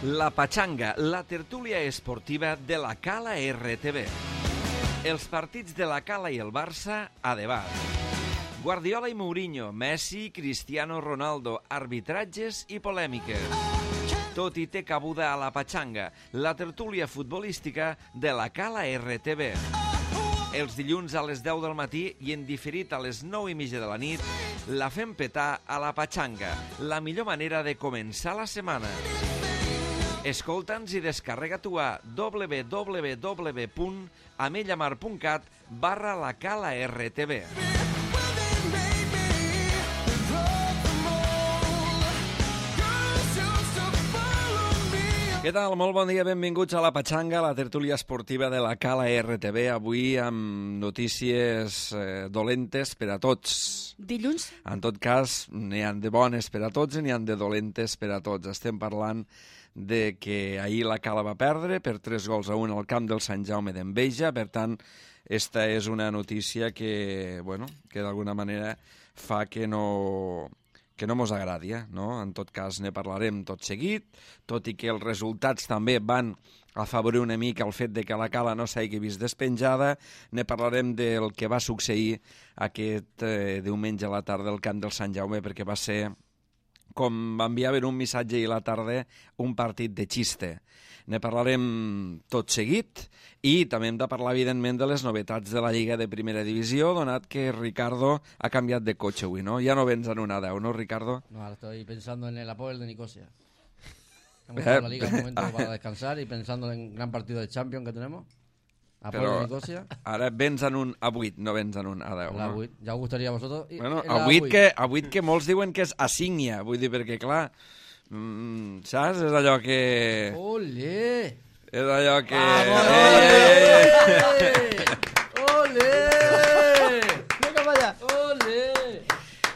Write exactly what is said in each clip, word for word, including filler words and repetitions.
La Pachanga, la tertúlia esportiva de la Cala R T V. Els partits de la Cala i el Barça a debat. Guardiola i Mourinho, Messi, Cristiano Ronaldo, arbitratges i polèmiques. Tot i té cabuda a la Pachanga, la tertúlia futbolística de la Cala R T V. Els dilluns a les deu del matí i en diferit a les nou i mitja de la nit, la fem petar a la Pachanga, la millor manera de començar la setmana. Escolta'ns i descarrega-t'ho a w w w punt amellamar punt cat barra la Cala R T V. Què tal? Molt bon dia, benvinguts a la Pachanga, la tertúlia esportiva de la Cala R T V, avui amb notícies eh, dolentes per a tots. Dilluns? En tot cas, n'hi ha de bones per a tots i n'hi ha de dolentes per a tots. Estem parlant de que ahir la Cala va perdre per tres gols a un al camp del Sant Jaume d'Enveja, per tant, esta és una notícia que, bueno, que d'alguna manera fa que no... que no mos agradi, eh? No? En tot cas, ne parlarem tot seguit, tot i que els resultats també van afavorir una mica el fet de que la Cala no s'hagi vist despenjada. Ne parlarem del que va succeir aquest eh, diumenge a la tarda al camp del Sant Jaume, perquè va ser, com enviaven un missatge ahir a la tarda, un partit de xiste. Ne parlarem tot seguit i també hem de parlar, evidentment, de les novetats de la Lliga de Primera Divisió, donat que Ricardo ha canviat de cotxe avui, ¿no? Ya no vens en una deu, ¿no, Ricardo? No, ahora estoy pensando en el Apoel de Nicosia. Hemos estado en la Liga un momento para descansar y pensando en el gran partido de Champions que tenemos. Apoel Però de Nicosia. Ara vens en un A vuit, no vens en un A deu, La no? vuit. Ja us gustaría a vosotros. I- Bueno, el A vuit A vuit. que, A vuit que molts diuen que és Assignia, vull dir, perquè, clar, mm, saps? És allò que... ¡Ole! És allò que... ¡Vamos! Ei, ei, ei. ¡Ole! Vinga, vaya. ¡Ole!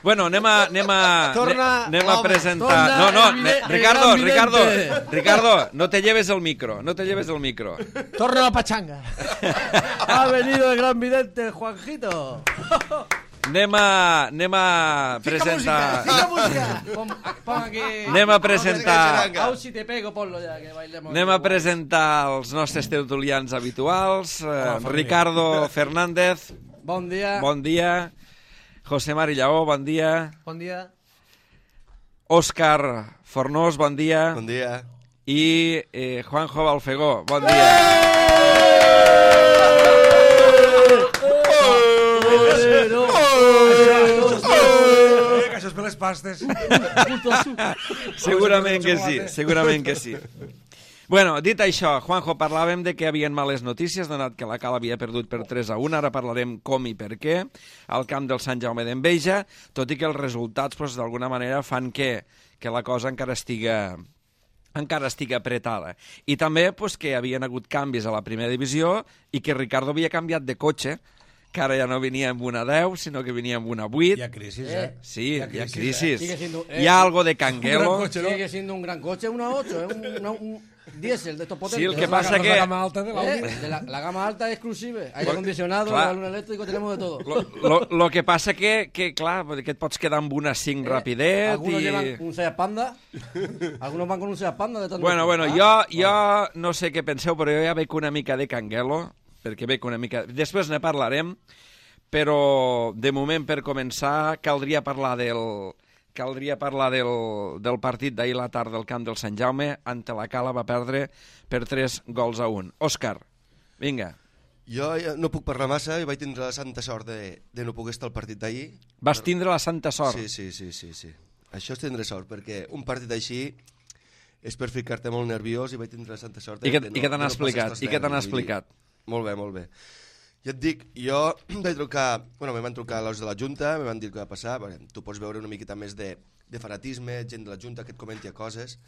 Bueno, anem a, anem a, Torna, anem a home, presentar... torna No, no, el ne- vidente, Ricardo, el Ricardo, vidente. Ricardo, no te lleves el micro, no te lleves el micro. Torna a la Pachanga. Ha venido el gran vidente, Juanjito. Anem a, anem a presentar... Fica música. Pon, pon aquí. Anem a presentar... Au, si te pego, ponlo ya, que bailemos. Anem a presentar els nostres tertulians habituals. Eh, Ricardo Fernández, Bon dia. bon dia. José Mari Lleó, bon dia. Bon dia. Òscar Fornós, bon dia. Bon dia. I eh, Juanjo Balfegó, bon dia. Que això és per les pastes. Segurament que sí, segurament que sí. Bueno, dit això, Juanjo, parlàvem de que havien males notícies, donat que la Cala havia perdut per tres a un, ara parlarem com i per què, al camp del Sant Jaume d'Enveja, tot i que els resultats, pues, d'alguna manera, fan que, que la cosa encara estiga encara estigui apretada. I també pues, que havien hagut canvis a la primera divisió i que Ricardo havia canviat de cotxe, que ara ja no venia amb una deu, sinó que venia amb una vuit. Hi ha crisis, eh? Sí, hi ha crisis, crisis. Sigue siendo- eh, Hi ha algo de Un gran canguelo. cotxe, no? Sigue siendo un gran coche, una ocho, es un, una- un diésel de estos potentes. Sí, el que És pasa la, que- La gama alta de l'Audi. Eh, de la, la gama alta exclusive, aire Lo- acondicionado, clar. balón eléctrico, tenemos de todo. Lo, lo, lo que passa que, que, clar, que et pots quedar amb una cinc rapidet Algunos i... llevan un Seat Panda, algunos van con un Seat Panda de tanto. Bueno, bueno, Ah, jo, jo no sé què penseu, però jo ja veig una mica de canguelo, perquè veig una mica... Després ne parlarem, però de moment, per començar, caldria parlar del... Caldria parlar del, del partit d'ahir la tarda del camp del Sant Jaume, ante la Cala va perdre per tres gols a un. Òscar, vinga. Jo ja no puc parlar massa i vaig tindre la santa sort de, de no poder estar al partit d'ahir. Vas tindre la santa sort. Sí, sí, sí, sí, sí. Això és tindre sort, perquè un partit així és per ficar-te molt nerviós i vaig tindre la santa sort de, I què, de i què t'han de no explicat? passar I què t'han nervis, vull dir. explicat? Molt bé, molt bé. Ja et dic, jo vaig trucar, bueno, me van trucar els de la Junta, me van dir què va passar, perquè tu pots veure una miqueta més de, de fanatisme, gent de la Junta que et comenti coses,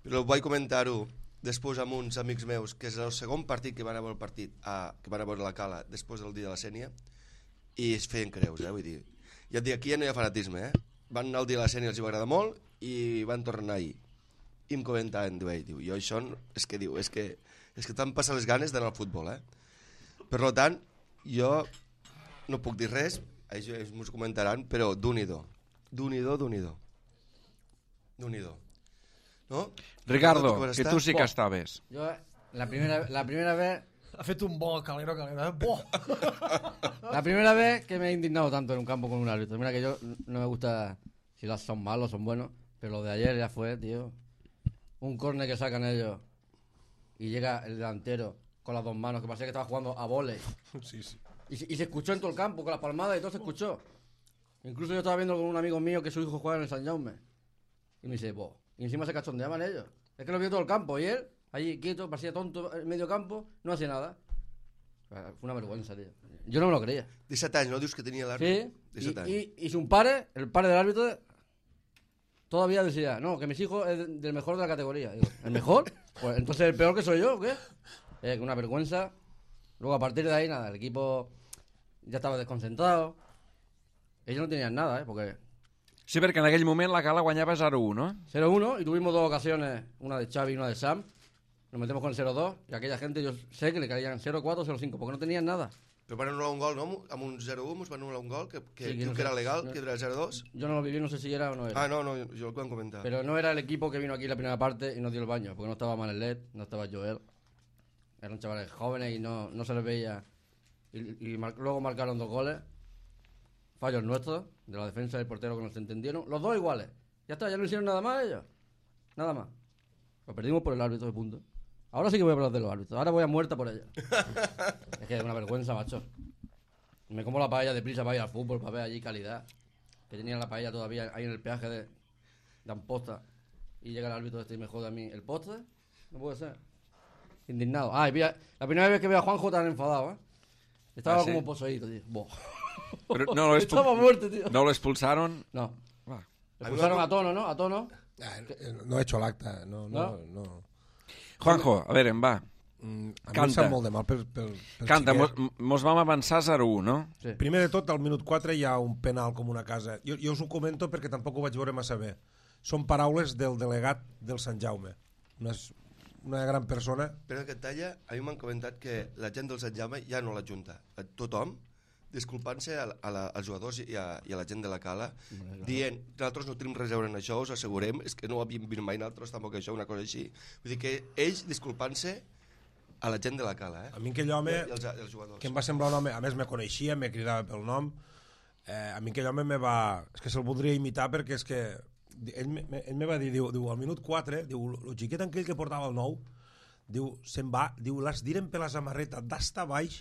però vaig comentar-ho després amb uns amics meus, que és el segon partit que van a veure el partit, a, que van a veure la Cala després del dia de la Sènia, i es feien creus, eh, vull dir. Ja et dic, aquí ja no hi ha fanatisme, eh? Van anar al dia de la Sènia, els hi va agradar molt, i van tornar ahir. I em comentaven, diu, diu, jo això, no, és que diu, és que, és que t'han passat les ganes d'anar al futbol, eh? Per tant, jo no puc dir res, ells m'ho comentaran, però d'un-i-do, d'un-i-do, d'un-i-do, d'un-i-do. No? Ricardo, Tu vas que estar? tu sí que Bo. estaves. Yo, la primera, la primera vez Ha fet un bo, calero, calero. Eh? Bo! La primera vez que me he indignado tanto en un campo con un árbitro. Mira que yo no me gusta si las son malos, son buenos, pero lo de ayer ya fue, tío. Un córner que sacan ellos y llega el delantero con las dos manos, que parecía que estaba jugando a vóley. Sí, sí. Y, se- y se escuchó en todo el campo, con las palmadas y todo se escuchó. Incluso yo estaba viendo con un amigo mío que su hijo juega en el San Jaume. Y me dice, vos. Y encima se cachondeaban ellos. Es que lo vio todo el campo y él, allí quieto, parecía tonto en medio campo, no hacía nada. Fue una vergüenza, tío. Yo no me lo creía. disset anys, no dius que tenia l'àrbit? Sí, disset y, anys. y, y su padre, el padre del árbitro, todavía decía, no, que mis hijos es del mejor de la categoría. Digo, ¿el mejor? Pues entonces el peor que soy yo, ¿o qué? Eh, una vergüenza. Luego a partir de ahí, nada, el equipo ya estaba desconcentrado. Ellos no tenían nada, ¿eh? Porque Sí, perquè en aquell moment la Cala guanyava zero u, no? cero uno y tuvimos dos ocasiones, una de Xavi y una de Sam. Nos metemos con el cero dos y aquella gente yo sé que le caían cero cuatro o cero cinco porque no tenían nada. Però van anul·lar un gol, no? Amb un zero u ens van anul·lar un gol que, que Sí, que diu no que sé. era legal, No. que era zero dos. Yo no lo viví, no sé si era o no era. Ah, no, no, jo el van comentar. Pero no era el equipo que vino aquí la primera parte y nos dio el baño, porque no estaba Manelet, no estaba Joel. Eran chavales jóvenes y no, no se les veía. Y, y mar- luego marcaron dos goles. Fallos nuestros, de la defensa y del portero que nos entendieron. Los dos iguales. Ya está, ya no hicieron nada más ellos. Nada más. Lo perdimos por el árbitro de punto. Ahora sí que voy a hablar de los árbitros. Ahora voy a muerta por ellos. Es que es una vergüenza, macho. Me como la paella deprisa para ir al fútbol, para ver allí calidad. Que tenían la paella todavía ahí en el peaje de, de Amposta. Y llega el árbitro este y me jode a mí. ¿El postre? No puede ser. Indignado. Ah, y vi a- la primera vez que veo a Juanjo tan enfadado, ¿eh? Estaba Ah, ¿sí? como poseído, tío. Boh. Però no lo Estaba muerto, tío. no lo expulsaron. No. Va. Le expulsaron a tono, ¿no? A tono. Ah, no he hecho l'acte, no, no, no. no. Juanjo, a veure, va. Mm, a mi Canta. em sap molt de mal per, per, per Canta, xiquet. mos, mos vam avançar zero u, no? Sí. Primer de tot, al minut quatre hi ha un penal com una casa. Jo, jo us ho comento perquè tampoc ho vaig veure massa bé. Són paraules del delegat del Sant Jaume. Una, una gran persona. Però que et talla, a mi m'han comentat que la gent del Sant Jaume ja no l'ajunta. Tothom, disculpant-se a, a la, als jugadors i a, i a la gent de la Cala, dient, nosaltres no tenim res a veure en això, us assegurem, és que no ho havíem vist mai nosaltres tampoc això, una cosa així. Vull dir que ells disculpant-se a la gent de la Cala, eh? A mi aquell home, I els, els jugadors. que em va semblar un home, a més me coneixia, me cridava pel nom, eh, a mi aquell home me va... És que se'l voldria imitar perquè és que... Ell me, ell me va dir, diu, diu al minut quatre, diu, el xiquet aquell que portava el nou, diu, se'n va, diu, les diren per la samarreta d'asta baix,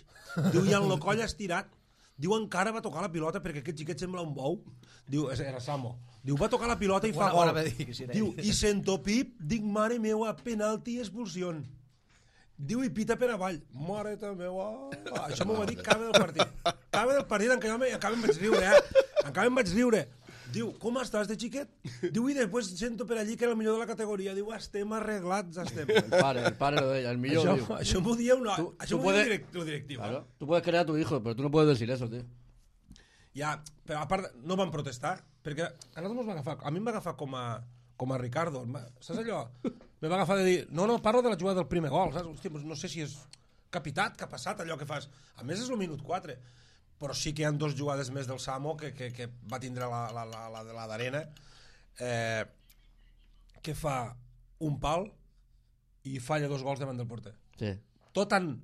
diu, i en lo coll estirat, diu, encara va tocar la pilota perquè aquest xiquet sembla un bou, diu, era Samo, diu, va tocar la pilota i fa Bona- gol, bona me diguis, era diu, ell. i sento pip, dic, mare meua, penalti i expulsió. Diu, i pita per avall. Mare ta meua... Ah, això m'ho va dir acaba del partit. Acaba del partit, encara me, encara em vaig riure, eh? Encara em vaig riure. Diu, com estàs de xiquet? Diu, i després sento per allí que era el millor de la categoria. Diu, estem arreglats, estem. El padre, el padre lo de ella, el millón, Això, tío. això m'ho dia una... Tu- això tu m'ho dia puedes- direct, lo directiu. Claro. Tú puedes crear a tu hijo, pero tú no puedes decir eso, tío. Ja, però a part, no van protestar, perquè a nosaltres ens va agafar, a mi em va agafar com a, com a Ricardo, em va- saps allò? Me va agafar de dir, no, no, parlo de la jugada del primer gol, saps? Hòstia, doncs no sé si és capitat, que ha passat allò que fas. A més és el minut quatre, però sí que hi ha dos jugades més del Samo que, que, que va tindre la, la, la, la, la d'arena, eh, que fa un pal i falla dos gols davant del porter. Sí. Tot en...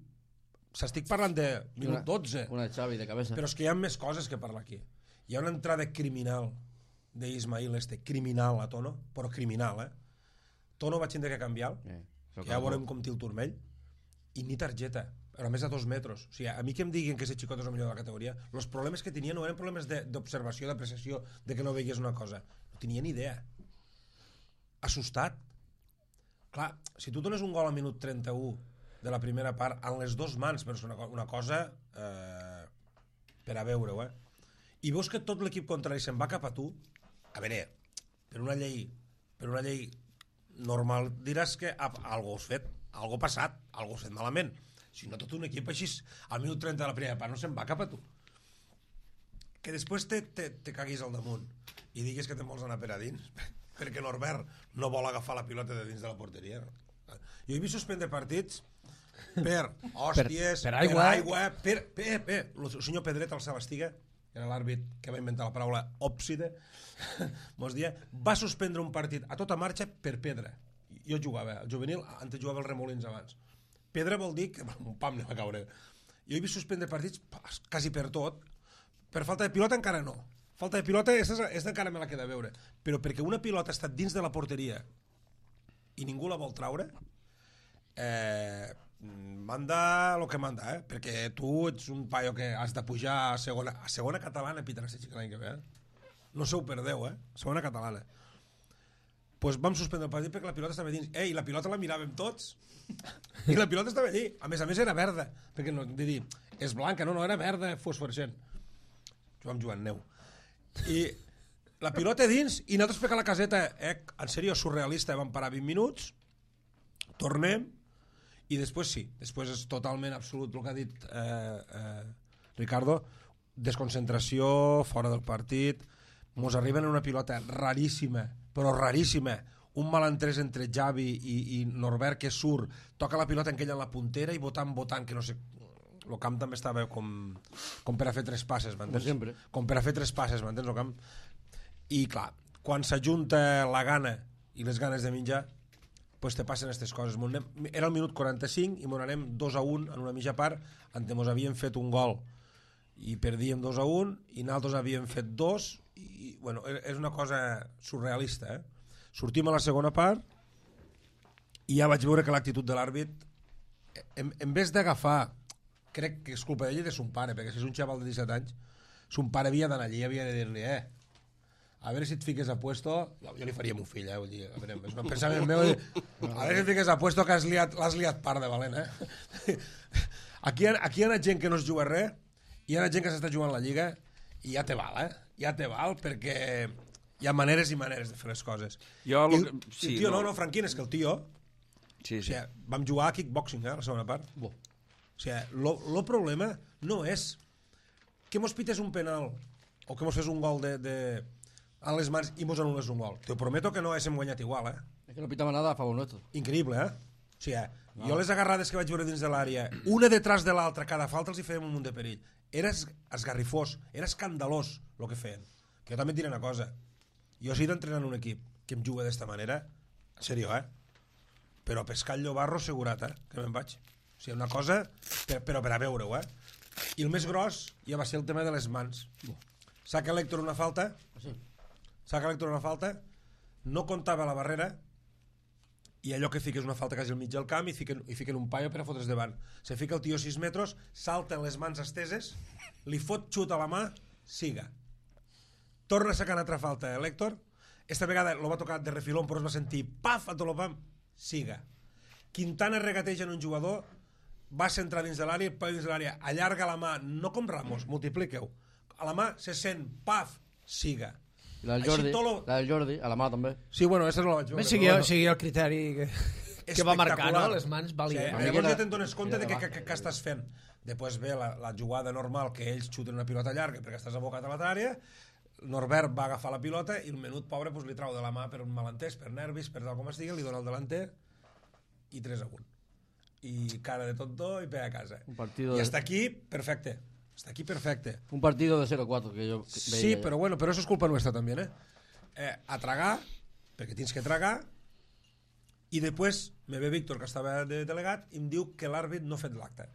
S'estic parlant de minut Una- dotze. Una de Xavi de cabeza. Però és que hi ha més coses que parlar aquí. Hi ha una entrada criminal d'Ismail este, criminal a Tono, però criminal, eh? Tono va tindre que canviar, Eh, que ja veurem com té el turmell, i ni targeta, però a més a dos metres. O sigui, a mi que em diguin que ese xicot és el millor de la categoria, els problemes que tenia no eren problemes de- d'observació, d'apreciació, de que no veies una cosa. No tenia ni idea. Assustat. Clar, si tu dones un gol a minut trenta-u de la primera part amb les dues mans, però és una, co- una cosa eh, per a veure-ho, eh? I veus que tot l'equip contrari se'n va cap a tu, a veure, per una llei per una llei normal diràs que ah, algo has fet, algo ha passat, algo has fet malament. Si no, tot un equip així al minut trenta de la primera part no se'n va cap a tu. Que després te, te, te caguis al damunt i diguis que te'n vols anar per a dins perquè Norbert no vol agafar la pilota de dins de la porteria. Jo he vist suspendre partits per hòsties, per per aigua. aigua, per, per, per, el senyor Pedret, el Sebastiga, que era l'àrbit que va inventar la paraula òpside, mos dia, va suspendre un partit a tota marxa per pedra. jo jugava, el juvenil, antes jugava els Remolins abans. Pedra vol dir que un pam anem a caure. Jo he vist suspendre partits quasi per tot. Per falta de pilota encara no. Falta de pilota, aquesta encara me la queda a veure. Però perquè una pilota ha estat dins de la porteria i ningú la vol traure, eh, manda el que manda, eh? Perquè tu ets un paio que has de pujar a segona, a segona catalana, Peter, l'any que ve, eh? No se ho perdeu, eh? Segona catalana. Pues vam suspendre el partit perquè la pilota estava dins. Ei, la pilota la miràvem tots. I la pilota estava allí. A més a més era verda. Perquè no, de dir, és blanca, no, no, era verda fosforescent. Vam jugar en neu. I la pilota dins i nosaltres per la caseta, eh, en sèrio, surrealista, vam parar vint minuts, tornem, i després sí, després és totalment absolut el que ha dit eh, eh, Ricardo, desconcentració, fora del partit, mos arriben en una pilota raríssima, però raríssima, un malentès entre Javi i, i Norbert que surt, toca la pilota en aquella en la puntera i votant, votant, que no sé, el camp també estava com, com per a fer tres passes, m'entens? Com sempre. Com per a fer tres passes, m'entens, el camp? I clar, quan s'ajunta la gana i les ganes de menjar, pues te passen aquestes coses. Anem, era el minut quaranta-cinc i m'on anem dos a un en una mitja part, on mos havíem fet un gol i perdíem dos a un i nosaltres havíem fet dos i, bueno, és una cosa surrealista, eh? Sortim a la segona part i ja vaig veure que l'actitud de l'àrbit, en, en vez d'agafar, crec que és culpa d'ell i de son pare, perquè si és un xaval de disset anys, son pare havia d'anar allí i havia de dir-li, eh, a veure si et fiques a puesto, jo, jo li faria a mon fill, eh, vull dir, a veure, és un pensament meu, a veure si et fiques a puesto que l'has liat, liat part de valent, eh. Aquí, aquí hi ha gent que no es juga res, hi ha gent que s'està jugant la Lliga i ja te val, eh? Ja te val perquè hi ha maneres i maneres de fer les coses. Jo, I, lo... I sí, el tio, no, no, no, Franquín, és que el tio... Sí, sí. O sigui, vam jugar a kickboxing, eh, la segona part. Bo. O sigui, lo, lo problema no és que mos pites un penal o que mos fes un gol de, de, a les mans i mos anules un gol. Te prometo que no haguéssim guanyat igual, eh? Es que no pitaba nada a favor nuestro. Increïble, eh? O sigui, no. Jo les agarrades que vaig veure dins de l'àrea, una detrás de l'altra, cada falta els hi fèiem un munt de perill. Era esgarrifós, era escandalós el que feien. Que jo també et diré una cosa. Jo he estat entrenant un equip que em juga d'esta manera, en sèrio, eh? Però a pescar el llobarro assegurat, eh? Que me'n vaig. O sigui, una cosa, per, però per a veure-ho, eh? I el més gros ja va ser el tema de les mans. Saca l'Héctor una falta, Sí. saca l'Héctor una falta, no comptava la barrera, i allò que fiques una falta quasi al mig del camp i fiquen, i fiquen un paio per a fotre's davant. Se fica el tio sis metres, salta les mans esteses, li fot xut a la mà, siga. Torna a sacar una altra falta, eh, l'Héctor. Esta vegada lo va tocar de refilón, però es va sentir paf, a tot el pam, siga. Quintana regateja en un jugador, va centrar dins de l'àrea, pa dins de l'àrea, allarga la mà, no com Ramos, multipliqueu. A la mà se sent, paf, siga. Y la del Així Jordi, tot lo... la del Jordi, a la mà també. Sí, bueno, aquesta no la vaig veure. Més seguia, seguia el criteri que, que va marcar, no? Les mans valien. Sí, Una llavors miqueta- ja te'n dones compte de què era que, que, que estàs fent. Després ve la, la jugada normal que ells xuten una pilota llarga perquè estàs abocat a l'altra àrea. Norbert va agafar la pilota i el menut pobre pues, li trau de la mà per un malentès, per nervis, per tal com es digui, li dona el delanter i tres a un. I cara de tonto i pe a casa. Un partido I de- hasta aquí, perfecte. Hasta aquí, perfecte. Un partido de cero cuatro que yo Sí, veía ya. però bueno, però eso és culpa nuestra també, eh? eh a tragar, perquè tens que tragar, i després me ve Víctor, que estava de delegat, i em diu que l'àrbit no ha fet l'acte.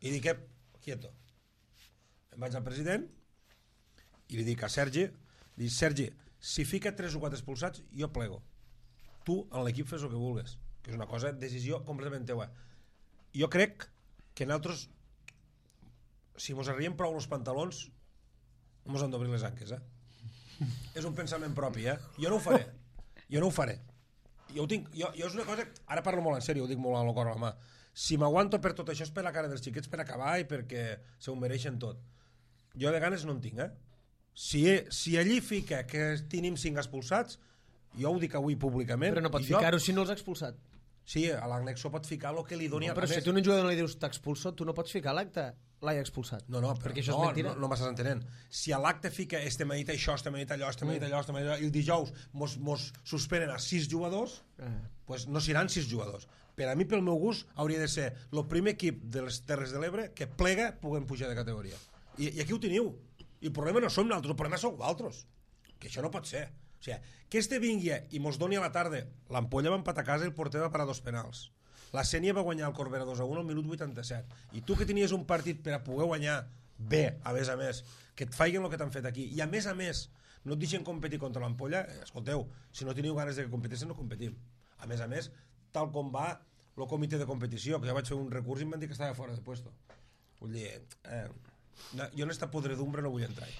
I dic, eh, quieto. Em vaig al president i li dic a Sergi, li dic, Sergi, si fica tres o quatre expulsats, jo plego. Tu, en l'equip, fes el que vulgues. Que és una cosa, decisió completament teua. Jo crec que nosaltres, si mos arriem prou els pantalons, no mos han d'obrir les anques, eh? És un pensament propi, eh? Jo no ho faré. Jo no ho faré. Jo, ho tinc, jo, jo és una cosa... Ara parlo molt en sèrio, ho dic molt al cor a la mà. Si m'aguanto per tot això és per la cara dels xiquets per acabar i perquè se ho mereixen tot. Jo de ganes no en tinc, eh? Si, si allí fica que tenim cinc expulsats, jo ho dic avui públicament... Però no pot i jo- ficar-ho si no els ha expulsat. Sí, a l'anexo pot ficar el que li doni... No, a però si més- tu a un jugador no li dius t'expulso, tu no pots ficar l'acte l'hai expulsat. No, no, però perquè això no, és mentira. no, no m'estàs entenent. Si a l'acte fica este m'ha dit això, este m'ha dit allò, este m'ha dit allò, este m'ha dit allò, i el dijous mos, mos suspenen a sis jugadors, Eh. pues no seran sis jugadors. Per a mi, pel meu gust, hauria de ser el primer equip de les Terres de l'Ebre que plega puguem pujar de categoria. I, i aquí ho teniu. I el problema no som nosaltres, el problema sou vosaltres. Que això no pot ser. O sigui, que este vingui i mos doni a la tarda, l'Ampolla va empatar a casa i el porter va parar dos penals. La Sénia va guanyar el Corbera dos a un al minut vuitanta-set. I tu que tenies un partit per a poder guanyar bé, a més a més, que et faiguen el que t'han fet aquí, i a més a més no et deixen competir contra l'Ampolla, escolteu, si no teniu ganes de que competeixen, no competim. A més a més, tal com va el comitè de competició, que jo vaig fer un recurs i em van dir que estava fora de puesto. Vull dir, eh, jo en esta podredumbre no vull entrar.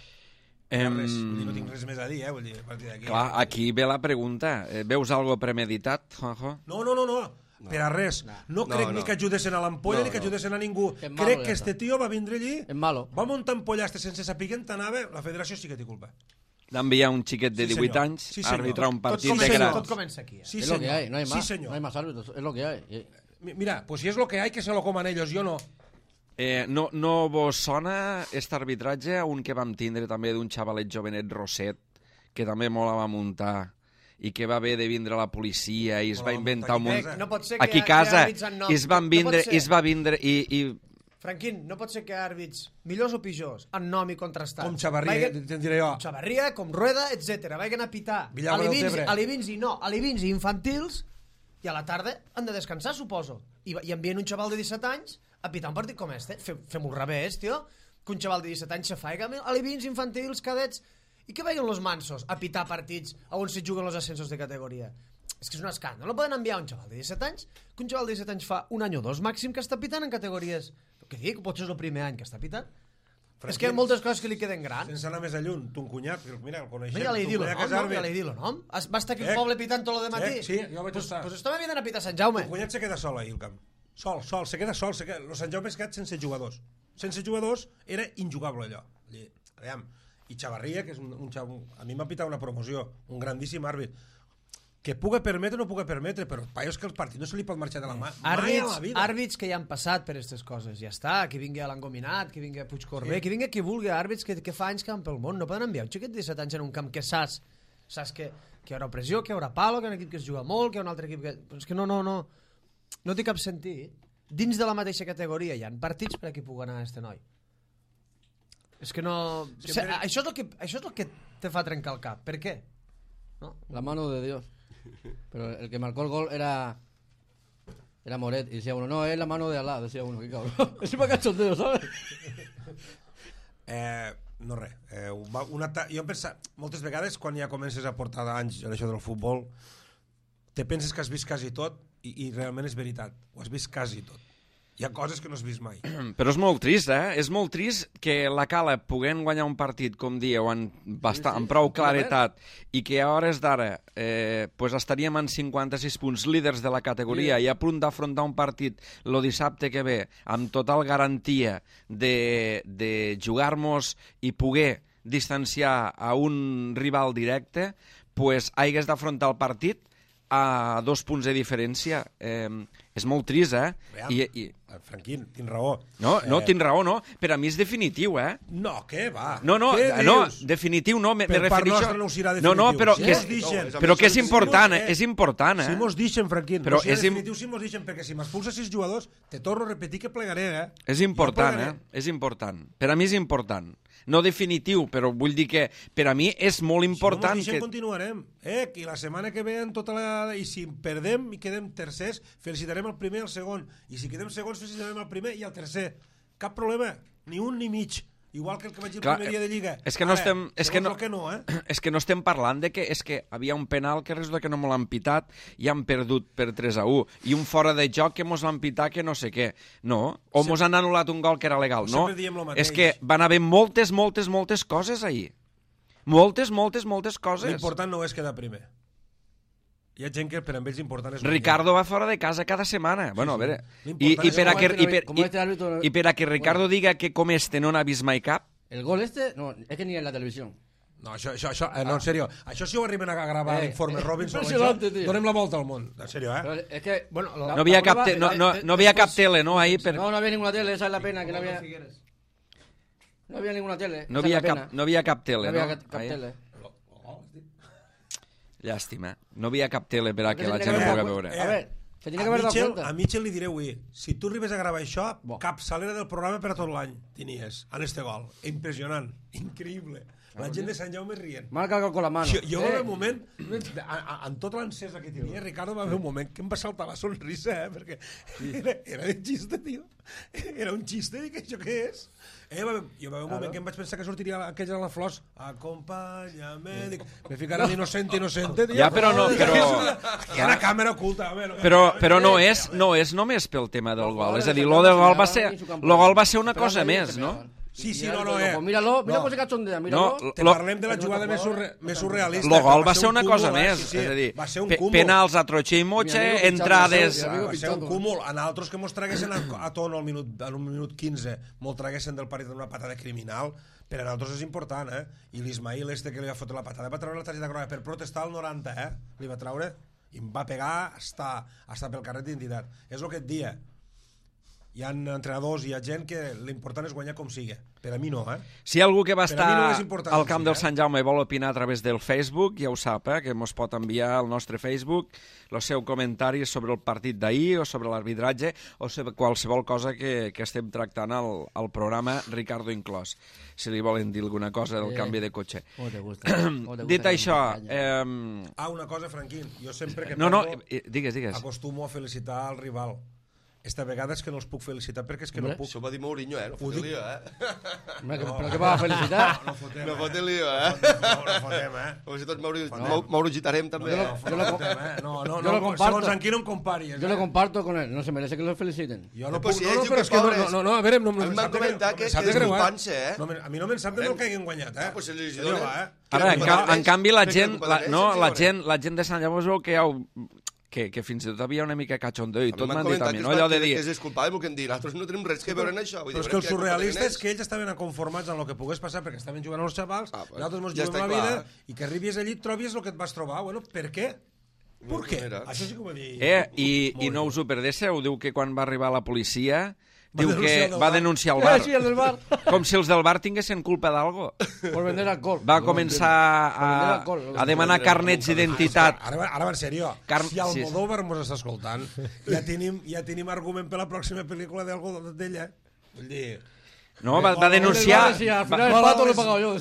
Em... Res, vull dir, no tinc res més a dir, eh? Vull dir, a partir d'aquí... Clar, aquí ve la pregunta. Veus algo premeditat, Juanjo? No, no, no, no. No. Per a res. No, no crec no, no. ni que ajudessin a l'Ampolla no, ni que ajudessin a ningú. Que malo, crec que este tio va vindre allí, va muntar ampollaste sense saber què anava, la federació sí que té culpa. D'enviar un xiquet de divuit sí, anys sí, a arbitrar un partit tot de gra... Tot comença aquí. Eh? Sí, es lo que hay, no hay más, sí, señor. No hay más árbitros, es lo que hay. Mira, pues si es lo que hay, que se lo coman ellos, yo no. Eh, no, no vos sona aquest arbitratge a un que vam tindre també d'un xavalet jovenet Roset, que també molt la va muntar i que va haver de vindre a la policia i es va inventar un munt... No pot ser que aquí a casa no, i es van vindre, no i es va vindre i, i... Franquín, no pot ser que àrbits millors o pitjors, en nom i contrastats, com Xavarria, te'n diré jo, com Xavarria, com Rueda, etcètera, vagin a pitar alivins i no, alivins i infantils, i a la tarda han de descansar, suposo, i, i envien un xaval de disset anys a pitar un partit com este. Fem-ho al revés, tio, que un xaval de disset anys se faiga alivins, infantils, cadets, i que vagin los mansos a pitar partits on se juguen els ascensos de categoria. És que és un escàndol. No poden enviar un xaval de disset anys, que un xaval de disset anys fa un any o dos màxim que està pitant en categories. Què dic? Potser és el primer any que està pitant. Franquín, és que hi ha moltes coses que li queden grans. Sense anar més a lluny, ton cunyat, mira, el coneixem. Ja li he dit el nom, no? Ja li he dit el nom. Va estar aquí al poble pitant tot el matí. Sí, jo vaig estar. Doncs estava venint a pitar Sant Jaume. El cunyat se queda sol ahir al camp. Sol, sol, se queda sol. Se queda... El Sant Jaume es quedat sense jugadors. Sense jugadors era injugable allò. Aviam. I Xavarria, que és un, un xav... a mi m'ha pitat una promoció, un grandíssim àrbit, que puga permetre o no puga permetre, però paio, és que el partit no se li pot marxar de la mà àrbits, mai a la vida. Àrbits que ja han passat per aquestes coses, ja està, que vingui a l'Engominat, que vingui a Puigcorbé, sí. Que vingui qui vulgui, àrbits que, que fa anys que van pel món, no poden enviar un xiquet de disset anys en un camp que saps, saps que, que hi haurà pressió, que hi haurà palo, que hi ha un equip que es juga molt, que hi ha un altre equip que... Però és que no, no, no, no té cap sentit. Dins de la mateixa categoria hi ha partits per a qui pugui anar a este noi. És que no... Sempre... Això, és el que, això és el que te fa trencar el cap. Per què? ¿No? La mano de Dios. Pero el que marcó el gol era era Moret y decía uno, no, es la mano de Alá, decía uno, qué cabrón. Es un cachondeo, ¿sabes? Eh, no res. Eh, una jo em pensa, moltes vegades quan ja comences a portar anys en això del futbol, te penses que has vist quasi tot i, i realment és veritat. Ho has vist quasi tot. Hi ha coses que no has vist mai. Però és molt trist, eh? És molt trist que la Cala puguem guanyar un partit, com dieu, amb, bastant, amb prou claretat, i que a hores d'ara eh, pues estaríem en cinquanta-sis punts líders de la categoria i a punt d'afrontar un partit el dissabte que ve amb total garantia de, de jugar-nos i poder distanciar a un rival directe, pues hagués d'afrontar el partit a dos punts de diferència. Eh, és molt trist, eh? Veam, I, i... Franquín, tens raó. No, no, eh... tens raó, no. Per a mi és definitiu, eh? No, què va? No, no, no, definitiu no. Me, per me part refereixo... nostra no serà definitiu. No, no, però, si que és, dixen, però que és important, eh? eh? És important, eh? Si mos dixen, Franquín, però no serà és definitiu si mos dixen, perquè si m'expulsa sis jugadors, te torno a repetir que plegaré, eh? És important, eh? És important. Per a mi és important. No definitiu, però vull dir que per a mi és molt important... Si no mos deixen, que... continuarem. Eh? I la setmana que ve, en tota la... i si perdem i quedem tercers, felicitarem el primer i el segon. I si quedem segons, felicitarem el primer i el tercer. Cap problema. Ni un ni mig. Igual que el que vaig dir el Clar, primer dia de Lliga. És que no Ara, estem... És que no, que no, eh? és que no estem parlant de que és que havia un penal que resulta que no me l'han pitat i han perdut per tres a u. I un fora de joc que mos van pitar que no sé què. No. O mos han anul·lat un gol que era legal. No. És que van haver moltes, moltes, moltes coses ahir. Moltes, moltes, moltes coses. L'important no és quedar primer. Hi ha gent que per a ells important és... Ricardo va fora de casa cada setmana. Sí, bueno, a veure... I, i, per a que, i, per, i, I per a que Ricardo bueno. diga que com este no n'ha vist mai cap... El gol este, no, es que ni en la televisión. No, això, això, això eh, no, en sèrio. Això si ho arriben a gravar eh, l'informe eh, Robinson, això, donem la volta al món. En sèrio, eh? Pero es que, bueno, la, no havia cap, te, no, no, no havia cap tele, no? Ahí per... No, no había ninguna tele, esa es la pena, que no había... No había ninguna tele. No havia, cap, no havia cap tele, no? No havia cap, cap tele. Llàstima. No havia cap tele per a que la gent ho pugui veure. A veure, se tiene que haver dado cuenta. A Mitchell li diré avui, si tu arribes a gravar això, cap salera del programa per a tot l'any tenies, en este gol. Impressionant, increïble. la gent de Sant Jaume rient. Marca algo con la mano. Jo, jo va haver un moment, en tota l'encesa que tenia, Ricardo, va haver un moment que em va saltar la sonrisa, eh, perquè era, era de xiste, tio. Era un xiste, dic, això què és? Eh, va, jo va haver un moment que em vaig pensar que sortiria aquella de la Flors, acompanya'm, dic, me ficaran inocente, inocente, tio. Ja, però no, però... Hi ha una càmera oculta, home. Però, però no, és, no és només pel tema del gol, és a dir, lo del gol va ser, lo gol va ser una cosa més, no? Sí, sí, no, no, eh. Pues míralo, mira com se cachondea, míralo. No, Te parlem de la jugada més, surre, més surrealista. Lo gol va ser ser una un cosa cúmul, més, eh? Sí, sí, és a dir, va ser un pe cúmul. penals a Trotxe i Motxe, entrades... Va ser un cúmul. En altres que mos traguessin a, a tono al minut, en un minut quinze, mos traguessin del partit d'una patada criminal, per a nosaltres és important, eh? I l'Ismail este que li va fotre la patada va treure la targeta groga per protestar al noranta, eh? Li va treure i em va pegar hasta, hasta pel carret d'identitat. És el que et dia. Hi ha entrenadors, hi ha gent que l'important és guanyar com sigui. Per a mi no, eh? Si hi ha algú que va estar no és important al camp sí, del eh? Sant Jaume i vol opinar a través del Facebook, ja ho sap, eh? Que mos pot enviar al nostre Facebook el seu comentari sobre el partit d'ahir o sobre l'arbitratge o sobre qualsevol cosa que, que estem tractant al, al programa, Ricardo inclòs, si li volen dir alguna cosa del Eh. canvi de cotxe. ¿Cómo te gusta? ¿Cómo te gusta Dit que això, me engaña? eh, Ah, una cosa, Franquín. Jo sempre que no, no, perdo, eh, digues, digues. acostumo a felicitar al rival. Esta vegada és que no els puc felicitar perquè és que Hombre. no puc. Això ho va dir Mourinho, eh? No Ho fotem dic- lío, eh? Hombre, que- ¿pero qué vas a felicitar? No fotem, No eh? fotem lío, eh? No, no fotem, eh? Com si tots Mauro, Mau- Maurogitarem també. Jo eh? lo- yo lo- Fotem, eh? No, no, Yo no, lo comparto. segons en qui no em comparis. Yo lo comparto con él, no se merece que lo feliciten. Jo no Eh, puc, pues si no, ells no, diuen però que és que no, pobres. no, no, no, a veure, no, no, A mi em m'han sap de comentat greu, que- em sap que de greu, desculpant-se, eh? No, a mi no me'n sap de Eh? del que hagin guanyat, eh? Ah, pues si els Senyor, donen- va, eh? Ara, en, ca en canvi, la Crec que gent, culpa la, d'ells, no, sí, la sí, gent, la gent de Sant Jaume es veu que, ja ho, que, que fins i tot havia una mica cachondeo i A mi tot m'han m'han dit a comentat mi, que no? es va- Allò de que- dir... que es disculpaven, el que em dir, nosaltres no tenim res que veure en això. Vull dir, Però és que el quina culpa surrealista tenen és que ells estaven aconformats amb el que pogués passar perquè estaven jugant els xavals, Ah, pues, nosaltres ens ja juguem està la vida clar. i que arribis allí et trobis el que et vas trobar. Bueno, per què? Per què? mira. Això sí que ho va dir. Eh, i, Molt i no bé. us ho perdéssiu, diu que quan va arribar la policia Va diu denunciar que el del va bar. denunciar el Eh, bar, sí, el del bar. com si els del bar tinguessin culpa d'algo. Por vender alcohol. Va No començar Por vender a, alcohol. a demanar carnets d'identitat. Ara, ara, ara va en sèrio. Car- Si el sí. Modóvar mos està escoltant, ja tenim, ja tenim argument per la pròxima pel·lícula d'algo d'ella. Vull dir... No, va, va El del denunciar... bar decía, al final el va- pato va- lo he pagado yo.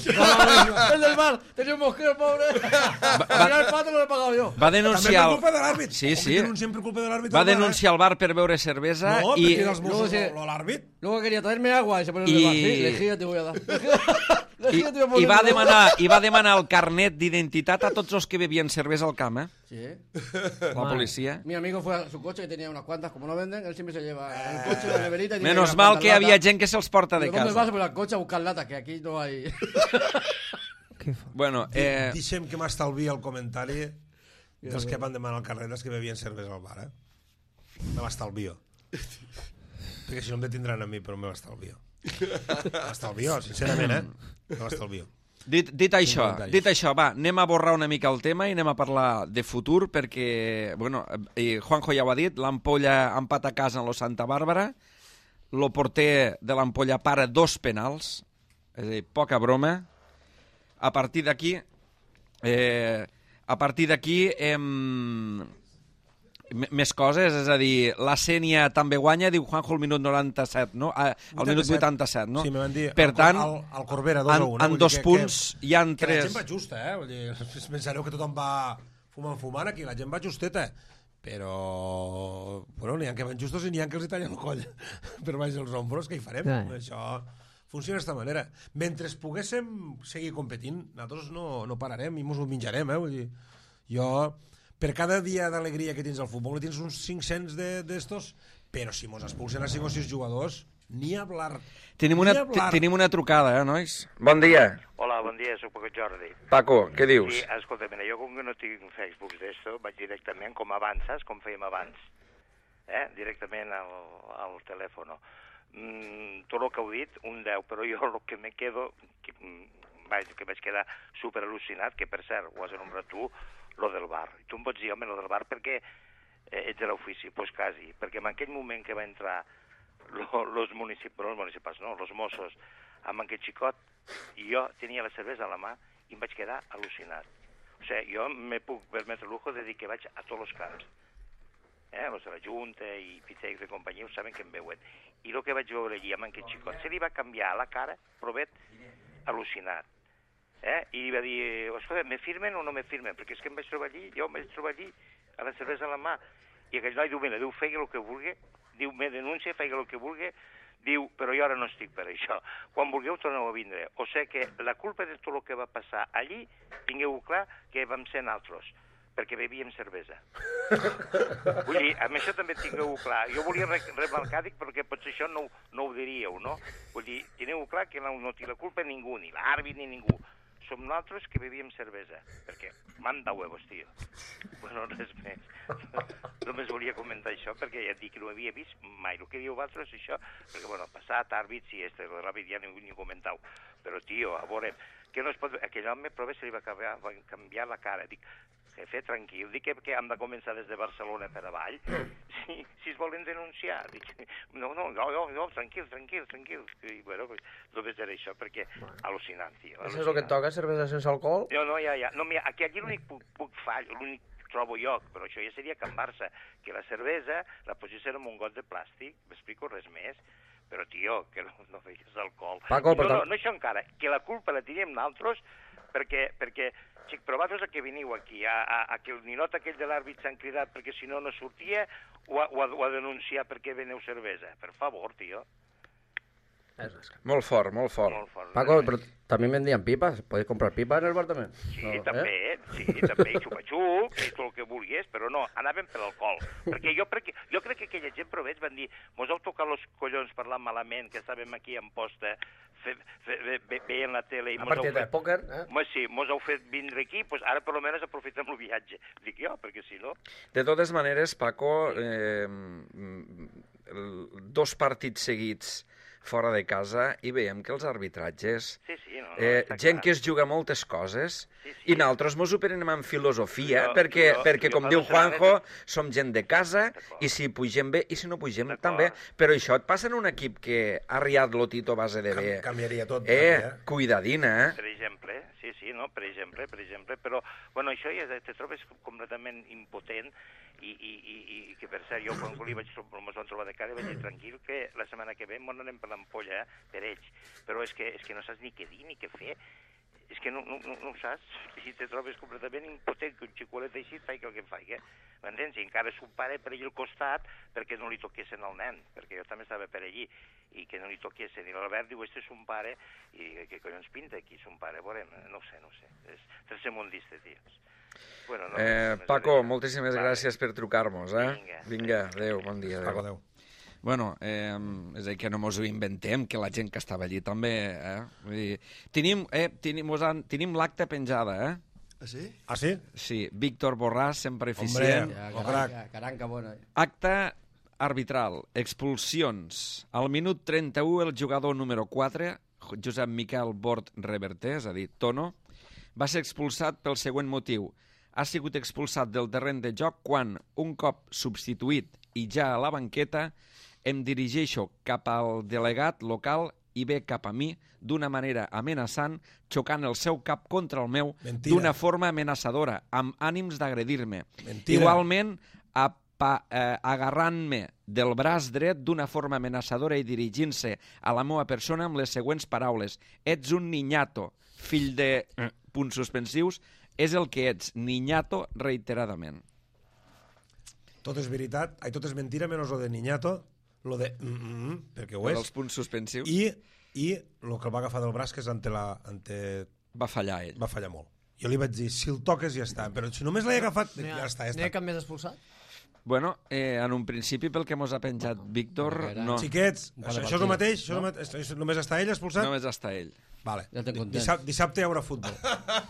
El del bar, tenía un mosquero, pobre. Al final el pato lo he pagado yo. Va També denunciar... per el- culpa de l'àrbit. Sí, sí. Denunciem per culpa de l'àrbit. Va al bar, eh? denunciar el bar per beure cervesa No, i... perquè els Luego Mossos, se- lo- l'àrbit. Luego quería traerme agua y se pone en Y- el bar. Sí, lejía te voy a dar. I, Lejía te voy a poner i, va en el bar. demanar, I va demanar el carnet d'identitat a tots els que bevien cervesa al camp, eh? Sí. La policia. Mi amigo fue a su coche que tenía unas cuantas, como no venden, él siempre se lleva el coche, la neverita y tiene Menos unas mal cuantas que había latas. gent que se'ls porta de Digo, ¿dónde vas? casa. Pues al coche a buscar latas, que aquí no hay. Bueno, eh, Deixem que m'estalvi el comentari dels que van demanar el carnet dels que bevien cervesa al bar, eh? Me l'estalvio. Perquè si no em detindran a mi, però me l'estalvio. Me l'estalvio, sincerament, eh? Me l'estalvio. dit, dit això, comentari. dit això, va, anem a borrar una mica el tema i anem a parlar de futur perquè, bueno, eh, Juanjo ja ho ha dit, l'Ampolla empat a casa en lo Santa Bàrbara, lo porter de l'Ampolla para dos penals, és a dir, poca broma. A partir d'aquí, eh, a partir d'aquí, em... m- més coses, és a dir, la Sènia també guanya, diu Juanjo al minut noranta-set, no? A, al minut vuitanta-set, no? Sí, me van dir, Per el, tant, el, el Corbera, dos en, a un. eh? en Vull dir dos que- punts que, hi han que la tres... gent va justa, eh? Vull dir, pensareu que tothom va fumant, fumant aquí, la gent va justeta. Però, bueno, n'hi ha que van justos i n'hi ha que els hi tallen el coll per baix dels ombros, què hi farem? Ja. Això funciona d'aquesta manera. Mentre poguéssim seguir competint, nosaltres no, no pararem i mos ho menjarem, eh? Vull dir, jo, per cada dia d'alegria que tens al futbol, ne tens uns cinc-cents d'estos, però si mos expulsen a cinc o sis jugadors, ni hablar. Tenim una, Ni hablar. tenim una trucada, eh, nois? Bon dia. Hola, bon dia, soc Paco Jordi. Paco, què dius? Sí, escolta, mira, jo com que no tinc Facebook d'esto, vaig directament, com abans, saps? Com fèiem abans. Eh? Directament al, al telèfon. Mm, tot el que heu dit, un deu, però jo el que me quedo, que, mm, vaig, que vaig quedar super al·lucinat, que per cert, ho has anomenat tu, lo del bar. I tu em pots dir, home, lo del bar perquè eh, ets de l'ofici, doncs pues quasi, perquè en aquell moment que va entrar lo, los municipals, no, els municipals, no, los Mossos, amb aquest xicot, i jo tenia la cervesa a la mà i em vaig quedar al·lucinat. O sigui, jo me puc permetre el lujo de dir que vaig a tots els camps. Eh, los de la Junta i Pitecs de companyia ho saben que em veuen. I el que vaig veure allí amb aquest xicot, se li va canviar la cara, però vet, al·lucinat. Eh? I va dir, escolta, me firmen o no me firmen? Perquè és que em vaig trobar allí, jo em vaig trobar allí, a la cervesa a la mà. I aquell noi diu, mira, diu, feia el que vulgui, diu, me denuncia, feia el que vulgui, diu, però jo ara no estic per això. Quan vulgueu torneu a vindre. O sigui que la culpa de tot el que va passar allí, tingueu clar que vam ser naltros, perquè bevíem cervesa. Vull dir, amb això també tingueu clar. Jo volia remarcar, dic, perquè potser això no, no ho diríeu, no? Vull dir, tingueu clar que no, no té la culpa ningú, ni l'àrbit ni ningú. Som nosaltres que bevíem cervesa, perquè manda huevos, tio. Bueno, res més. Només volia comentar això, perquè ja et dic que no havia vist mai. El que dieu vosaltres, això, perquè, bueno, passat, àrbits i este, l'àrbit ja ni, ni comentau. Però, tio, a veure, que no es pot... Aquell home, prova, se li va canviar, va canviar la cara. Dic, jefe, tranquil, dic que, que hem de començar des de Barcelona per avall. Si, si es volen denunciar, dic, no, no, no, no, no tranquil, tranquil, tranquil. I, bueno, pues, només era això, perquè bueno. Al·lucinant, tio. Al·lucinant. Això és el que et toca, cervesa sense alcohol? No, no, ja, ja. No, mira, aquí, aquí l'únic puc, puc fall, l'únic trobo jo, però això ja seria Can Barça, que la cervesa la posessin en un got de plàstic, m'explico res més, però, tio, que no, no veies alcohol. Paco, no, no, no això encara, que la culpa la teníem nosaltres, perquè, perquè xic, però vosaltres a què veniu aquí? A, a, a que el ninot aquell de l'àrbit s'han cridat perquè si no no sortia o a, o a, o a denunciar perquè veneu cervesa? Per favor, tio. Molt fort, molt fort. Molt fort. Paco, però també vendien pipas. ¿Podéis comprar pipas en el bar també? Sí, no, també, eh? sí, també, xupa-xup, i tot el que vulguis, però no, anaven per l'alcohol. Perquè jo, perquè jo crec que aquella gent proveix van dir, mos heu tocat els collons parlant malament, que estàvem aquí en posta, fe, fe, ve, ve, veient la tele... I a partir de pòquer, eh? Mos, sí, mos heu fet vindre aquí, doncs ara per almenys aprofitem el viatge. Dic jo, perquè si no... De totes maneres, Paco, eh, dos partits seguits fora de casa i veiem que els arbitratges... Sí, sí, no, no, eh, gent clar. que es juga moltes coses sí, sí. i nosaltres mos ho prenem amb filosofia Jo, perquè, jo, perquè jo com diu personalment- Juanjo, som gent de casa i si pugem bé i si no pugem també. Però això et passa en un equip que ha riat lo Tito a base de bé. Cam canviaria tot. Eh, també, eh? cuidadina, eh? Per exemple, sí, sí, no? Per exemple, per exemple, però, bueno, això ja te trobes completament impotent i, i, i, i que, per cert, jo quan li vaig, mos vam trobar de cara vaig dir tranquil que la setmana que ve m'ho anem per l'ampolla, eh, per ells, però és que, és que no saps ni què dir ni què fer, és que no, no, no, no ho saps, si te trobes completament impotent que un xicolet així faig el que faig, eh? M'entens? I encara son pare per allà al costat perquè no li toquessin al nen, perquè jo també estava per allí, i que no li toquessin. I l'Albert diu, este és un pare, i què collons pinta aquí, son pare? Veurem, no ho sé, no ho sé, és tercermundista, tios. Bueno, no, Eh, no Paco, vale. moltíssimes Vale. gràcies per trucar-nos, eh? Vinga. Vinga, adéu, bon dia. Paco, Adéu. adéu. Bueno, eh, és a dir, que no mos ho inventem, que la gent que estava allí també, eh? Vull dir, tenim, eh, tenim, mos han, tenim l'acte penjada, eh? Ah, sí? Ah, sí? Sí, Víctor Borràs, sempre eficient. Ja, Oh, caranca, caranca bona. Acte arbitral, expulsions. Al minut trenta-u, el jugador número quatre, Josep Miquel Bort Reverter, és a dir, Tono, va ser expulsat pel següent motiu. Ha sigut expulsat del terreny de joc quan, un cop substituït i ja a la banqueta, em dirigeixo cap al delegat local i ve cap a mi d'una manera amenaçant, xocant el seu cap contra el meu Mentira. d'una forma amenaçadora, amb ànims d'agredir-me. Mentira. Igualment, apa, eh, agarrant-me del braç dret d'una forma amenaçadora i dirigint-se a la meva persona amb les següents paraules. Ets un niñato, fill de... punts suspensius, és el que ets, niñato, reiteradament. Tot és veritat, ai, tot és mentira, menys lo de niñato, lo de... Mm -mm, perquè ho Per és. els punts suspensius I, i el que el va agafar del braç, que és ante la... Ante... va fallar ell. va fallar molt. Jo li vaig dir, si el toques ja està, però si només l'he agafat, No hi ha, ja està, ja no hi ha està. cap més expulsat? Bueno, eh, en un principi, pel que mos ha penjat Víctor, no, Xiquets, Un par això, de això és el partides, mateix? Això no? és el mateix? Això només està ell expulsat? només està ell. Vale. Ja estem contents. Dissabte, dissabte hi haurà futbol.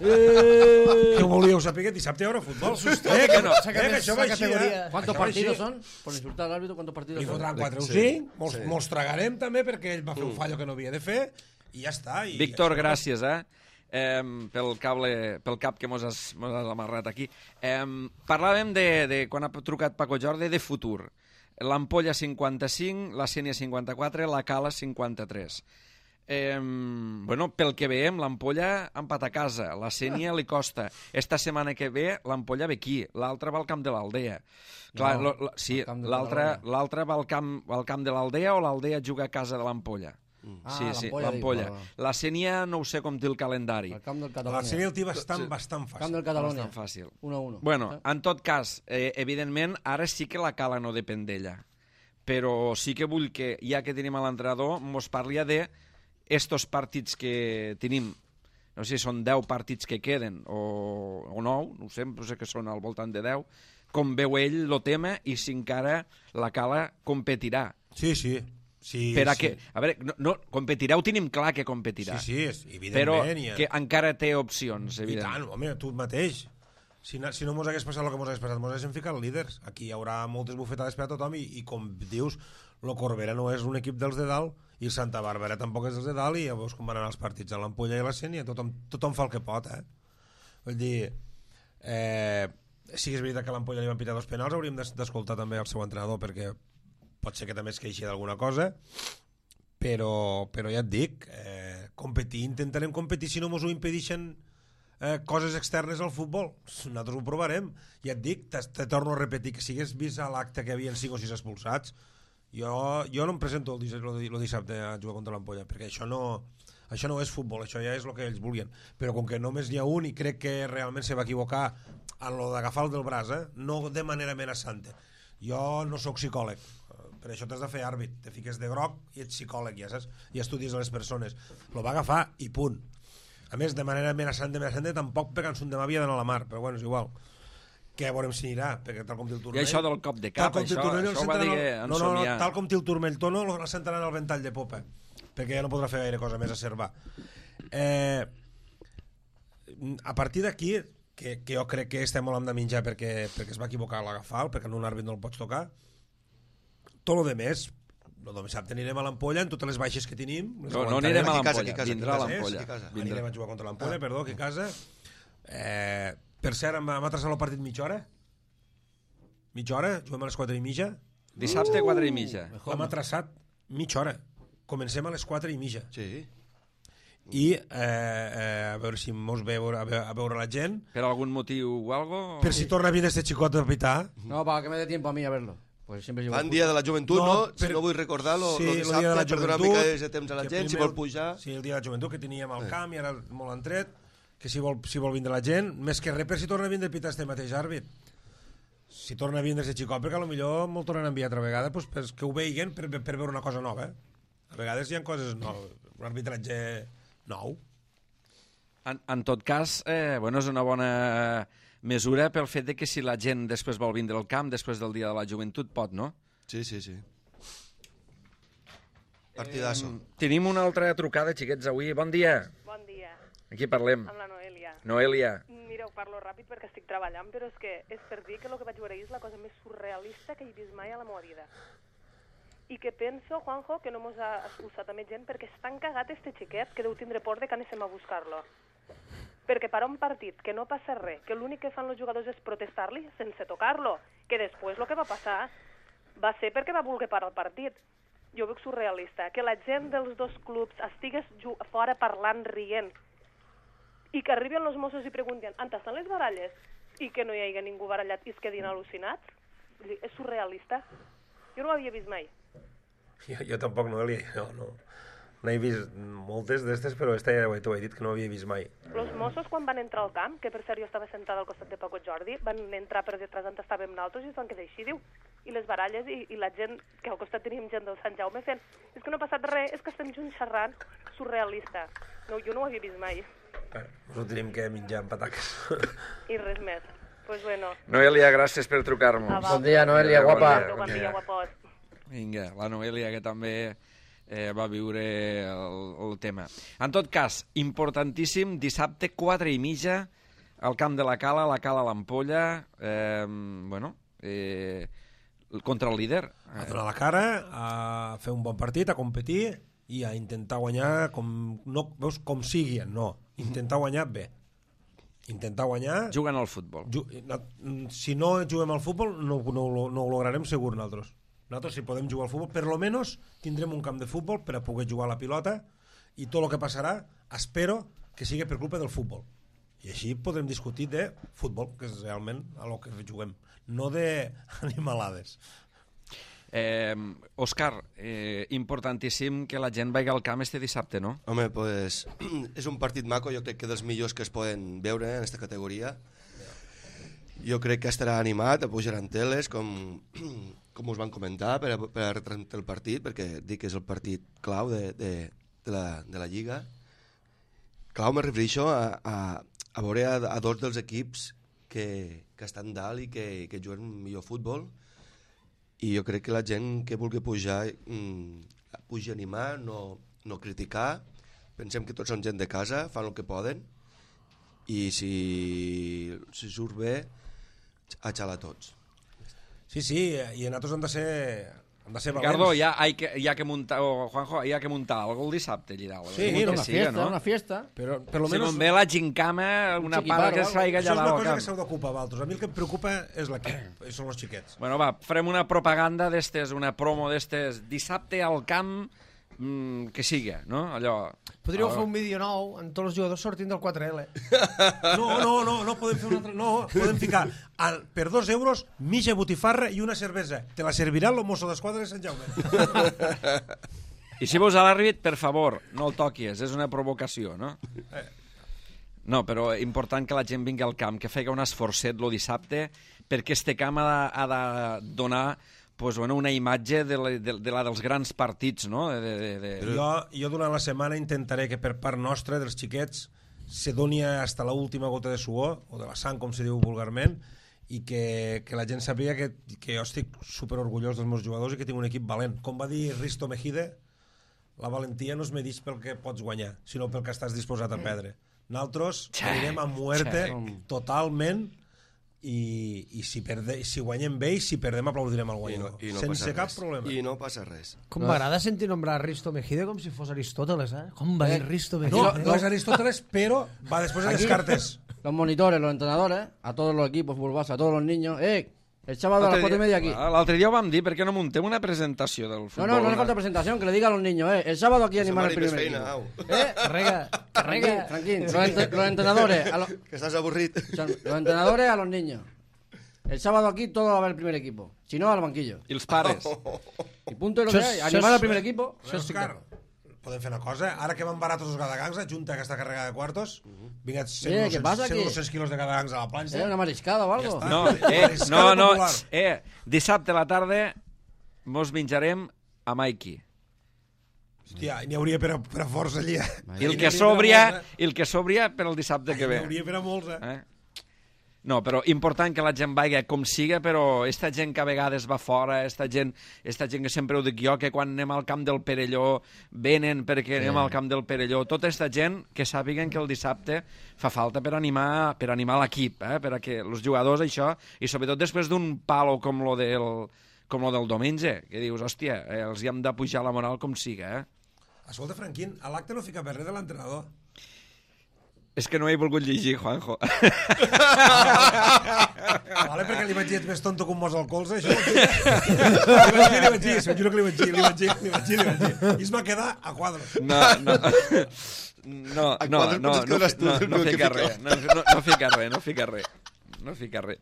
eh! Què volíeu saber? Dissabte hi haurà futbol. Eh, que, no, eh, que això va així, eh? ¿Cuántos Això va partidos així. son? Por insultar al árbitro, ¿cuántos partidos Li son? fotran quatre o Sí. cinc, mos, Sí. mos tragarem també perquè ell va fer un fallo que no havia de fer i ja està. I Víctor, això- gràcies, eh? eh pel, cable, pel cap que mos has, mos has amarrat aquí. Eh, parlàvem de, de, quan ha trucat Paco Jordi, de futur. L'Ampolla cinquanta-cinc, la Sènia cinquanta-quatre, la Cala cinquanta-tres. Eh, bueno, pel que veiem, l'Ampolla empat a casa, la Sènia li costa. Esta setmana que ve, l'Ampolla ve aquí, l'altra va al camp de l'Aldea. Clar, No, lo, lo, sí, al camp de l'altra Badalona. l'altra va al camp, al camp de l'Aldea o l'Aldea juga a casa de l'Ampolla? Ah, sí, sí, l'Ampolla, l'Ampolla. dic, va, La Sénia no ho sé com té el calendari. El camp del La Catalunya. sèrie el té bastant, Sí. bastant Camp fàcil. del Catalunya. Bastant fàcil. uno a uno. Bueno, Eh? en tot cas, eh, evidentment, ara sí que la Cala no depèn d'ella. Però sí que vull que, ja que tenim a l'entrenador, mos parli de estos partits que tenim. No sé si són deu partits que queden o, o nou, no ho sé, però sé que són al voltant de deu. Com veu ell el tema i si encara la Cala competirà. Sí, sí. sí per a sí. que, a veure, no, no, competirà, ho tenim clar que competirà. Sí, sí, és, evidentment. Però i, que encara té opcions, I evidentment. tant, home, tu mateix. Si no, si no mos hagués passat el que mos hagués passat, mos haguéssim ficat líders. Aquí hi haurà moltes bufetades per a tothom i, i com dius, el Corbera no és un equip dels de dalt i el Santa Bàrbara tampoc és dels de dalt i ja veus com van anar els partits a l'Ampolla i a la Sénia. Tothom, tothom fa el que pot, eh? Vull dir, eh, sí que és veritat que a l'Ampolla li van pitar dos penals, hauríem d'es- d'escoltar també el seu entrenador perquè pot ser que també es queixi d'alguna cosa, però, però ja et dic, eh, competir, intentarem competir si no mos ho impedixen eh, coses externes al futbol. Nosaltres ho provarem. Ja et dic, te, te torno a repetir que si hagués vist a l'acte que hi havia cinc o sis expulsats, jo, jo no em presento el, dissabte, el dissabte a jugar contra l'Ampolla, perquè això no, això no és futbol, això ja és el que ells volien. Però com que només n'hi ha un i crec que realment se va equivocar en lo d'agafar el del braç, eh? No de manera amenaçante. Jo no sóc psicòleg, per això t'has de fer àrbit, te fiques de groc i ets psicòleg, ja saps? I estudies a les persones. Lo va agafar i punt. A més, de manera amenaçant, amenaçant, tampoc pegant un demà havia d'anar a la mar, però bueno, és igual. Que a veurem si anirà, perquè tal com té el turmell... I això del cop de cap, això, turmell, això ho va dir que en no, no, no, somiar. tal com té el turmell tono, la sentaran al ventall de popa, perquè ja no podrà fer gaire cosa més a Cervà. Eh, a partir d'aquí, que, que jo crec que estem molt amb de menjar perquè, perquè es va equivocar a l'agafar, perquè en un àrbit no el pots tocar, tot lo de més, el dissabte anirem a l'Ampolla en totes les baixes que tenim. Les No, no aguantarem. anirem a Aquí a casa, l'Ampolla, aquí a casa, vindrà a aquí a casa, l'Ampolla. aquí a casa. Vindrà. Anirem a jugar contra l'Ampolla, perdó, aquí a casa. Eh, per cert, hem, hem atrasat el partit mitja hora. Mitja hora, juguem a les quatre i mitja. Dissabte, quatre i mitja. L'hem atrasat mitja hora. Comencem a les quatre i mitja. Sí. I eh, eh, a veure si mos ve a veure, a veure, a veure la gent. Per algun motiu o algo? Per si torna a venir este xicot a pitar. No, para que me dé tiempo a mí a verlo. Pues siempre llevo Fan dia de la joventut, no? No, Si per- no vull recordar, lo, Sí, lo el dissabte, dia de la per donar una joventut, mica de temps a la que gent, si primer vol pujar... Sí, el dia de la joventut, que teníem al Eh. camp i ara molt entret, que si vol, si vol vindre la gent, més que res per si torna a vindre a pitar este mateix àrbit. Si torna a vindre este xicot, perquè potser molt tornen a enviar altra vegada, doncs, pues, que ho veiguen per, per veure una cosa nova. Eh? A vegades hi ha coses noves, un arbitratge nou. En, en tot cas, eh, bueno, és una bona mesura pel fet de que si la gent després vol vindre al camp, després del dia de la joventut, pot, no? Sí, sí, sí. Partidasso. Eh, tenim una altra trucada, xiquets, avui. Bon dia. Bon dia, Aquí parlem. amb la Noelia. Noelia. Mireu, parlo ràpid perquè estic treballant, però és que és per dir que el que vaig veure ahir és la cosa més surrealista que he vist mai a la meva vida. I que penso, Juanjo, que no mos ha expulsat a més gent perquè és tan cagat este xiquet que deu tindre por de que anéssim a buscar-lo. Perquè per a un partit que no passa res, que l'únic que fan els jugadors és protestar-li sense tocar-lo, que després el que va passar va ser perquè va voler parar el partit. Jo veig surrealista, que la gent dels dos clubs estigués fora parlant, rient, i que arriben els Mossos i pregunten on estan les baralles, i que no hi hagi ningú barallat i es quedin al·lucinats. Vull dir, és surrealista. Jo no ho havia vist mai. Jo, jo tampoc no, Eli, no, no. No he vist moltes d'estes, però esta ja t'ho he dit que no havia vist mai. Els Mossos, quan van entrar al camp, que per cert jo estava sentada al costat de Paco Jordi, van entrar per detrás on estàvem nosaltres i es van quedar així, diu. I les baralles i, i la gent, que al costat teníem gent del Sant Jaume fent, és que no ha passat res, és que estem junts xerrant, surrealista. No, jo no ho havia vist mai. Bueno, ens ho tenim que menjar amb pataques. I res més. Pues bueno. Noelia, gràcies per trucar-nos. a Bon dia, Noelia, Bon guapa. dia, Bon dia, guapos. Vinga, la Noelia, que també eh, va viure el, el tema. En tot cas, importantíssim, dissabte, quatre i mitja, al camp de la Cala, la Cala a l'Ampolla, eh, bueno, eh, contra el líder. A donar la cara, a fer un bon partit, a competir i a intentar guanyar com, no, veus, com sigui, no, intentar guanyar bé. Intentar guanyar... Juguen al futbol. Ju no, si no juguem al futbol, no, no, no ho lograrem segur nosaltres. Nosaltres, si podem jugar al futbol, per lo menos tindrem un camp de futbol per a poder jugar a la pilota i tot el que passarà, espero que sigui per culpa del futbol. I així podrem discutir de futbol, que és realment a lo que juguem, no d'animalades. Eh, Òscar, eh, importantíssim que la gent vagi al camp este dissabte, no? Home, pues, és un partit maco, jo crec que dels millors que es poden veure en aquesta categoria. Jo crec que estarà animat, pujaran teles, com, com us van comentar, per a, per a retransmetre el partit, perquè dic que és el partit clau de, de, de, la, de la Lliga. Clau me refereixo a, a, a veure a, a dos dels equips que, que estan dalt i que, que juguen millor futbol, i jo crec que la gent que vulgui pujar mmm, pugi a animar, no, no criticar. Pensem que tots són gent de casa, fan el que poden, i si, si surt bé, a xalar tots. Sí, sí, i nosaltres hem de ser, hem de ser Ricardo, valents. ya hay que, ya que montar, o Juanjo, hi ha que muntar algo el dissabte allà dalt. Sí, Algo no, que una siga, fiesta, no? una fiesta. Però per lo Si menos... me'n ve la gincama, una chiquiparo, part que algo. es faiga Això allà és una dalt al cosa que camp. s'heu d'ocupar vosaltres. A mi el que em preocupa és l'equip, són els xiquets. Bueno, va, farem una propaganda d'estes, una promo d'estes, dissabte al camp, mmm, que siga, no? Allò... Podríeu fer un vídeo nou amb tots els jugadors sortint del quatre L. No, no, no, no podem fer un altre... No, podem ficar al, per dos euros mitja botifarra i una cervesa. Te la servirà el mosso d'esquadra de Sant Jaume. I si veus a l'àrbit, per favor, no el toquis, és una provocació, no? No, però important que la gent vingui al camp, que faci un esforçet el dissabte, perquè este camp ha de, ha de donar pues, bueno, una imatge de la, de, de la dels grans partits, no? De, de, de... Jo, jo durant la setmana intentaré que per part nostra, dels xiquets, se doni hasta la última gota de suor, o de la sang, com se diu vulgarment, i que, que la gent sàpiga que, que jo estic superorgullós dels meus jugadors i que tinc un equip valent. Com va dir Risto Mejide, la valentia no es medeix pel que pots guanyar, sinó pel que estàs disposat a perdre. Nosaltres anirem a muerte totalment, i, i si, perde, si guanyem bé i si perdem aplaudirem al guanyador, I no, i no sense cap res. problema. I no passa res. Com m'agrada sentir nombrar Risto Mejide com si fos Aristóteles, eh? Com va dir Risto Mejide? No, no es Aristóteles, pero va después de Aquí, Descartes. Los monitores, los entrenadores, a todos los equipos, fútbol base, a todos los niños. ¡Eh! El sábado a las cuatro y media aquí. L'altre dia ho vam dir, per què no muntem una presentació del No, futbol? no, no le falta presentación, que le diga a los niños, eh. El sábado aquí animar el primer equipo. Feina, au. Eh, Carrega, carrega. Tranquilo, los, ent los entrenadores, a los, Que estàs avorrit. son los entrenadores a los niños. El sábado aquí todo va a ver el primer equipo. Si no, al banquillo. I els pares? Y punto de lo Això que és- hay. això Animar és- al primer equipo. Òscar, podem fer una cosa? Ara que van baratos els gadagangs, junta aquesta carregada de quartos, vinga, Eh, què passa aquí? cent o dos quilos de gadagangs a la planxa. ¿Eh? Una mariscada o algo. Ya está. No, Ah, eh, mariscada no, no, popular. eh, dissabte a la tarda mos menjarem a Mikey. Hòstia, n'hi hauria per a, per a força allí. eh? I el N'hi que hauria per a sobria, molts, eh? i el que sobria per al dissabte que N'hi ve. hauria per a molts, eh? Eh? No, però important que la gent vagi com siga, però esta gent que a vegades va fora, esta gent, esta gent que sempre ho dic jo, que quan anem al camp del Perelló venen perquè sí. anem al camp del Perelló, tota esta gent que sàpiguen que el dissabte fa falta per animar per animar l'equip, eh? Per a que els jugadors això, i sobretot després d'un palo com lo del, com lo del diumenge, que dius, hòstia, eh, els hi hem de pujar la moral com siga, eh? Escolta, Franquín, a l'acte no fica per res de l'entrenador. És que no he volgut llegir, Juanjo. Vale, perquè li vaig dir, ets més tonto que un mos al colze, això. Li vaig dir, li vaig dir, s'ho juro que li vaig dir, li vaig dir, li vaig dir, li vaig dir. I es va quedar a quadre. No, no. No, A no, quadre no, potser no, quedaràs tu, no, el no que fica fica. res, no, no, no fica res, no fica res, no fica res.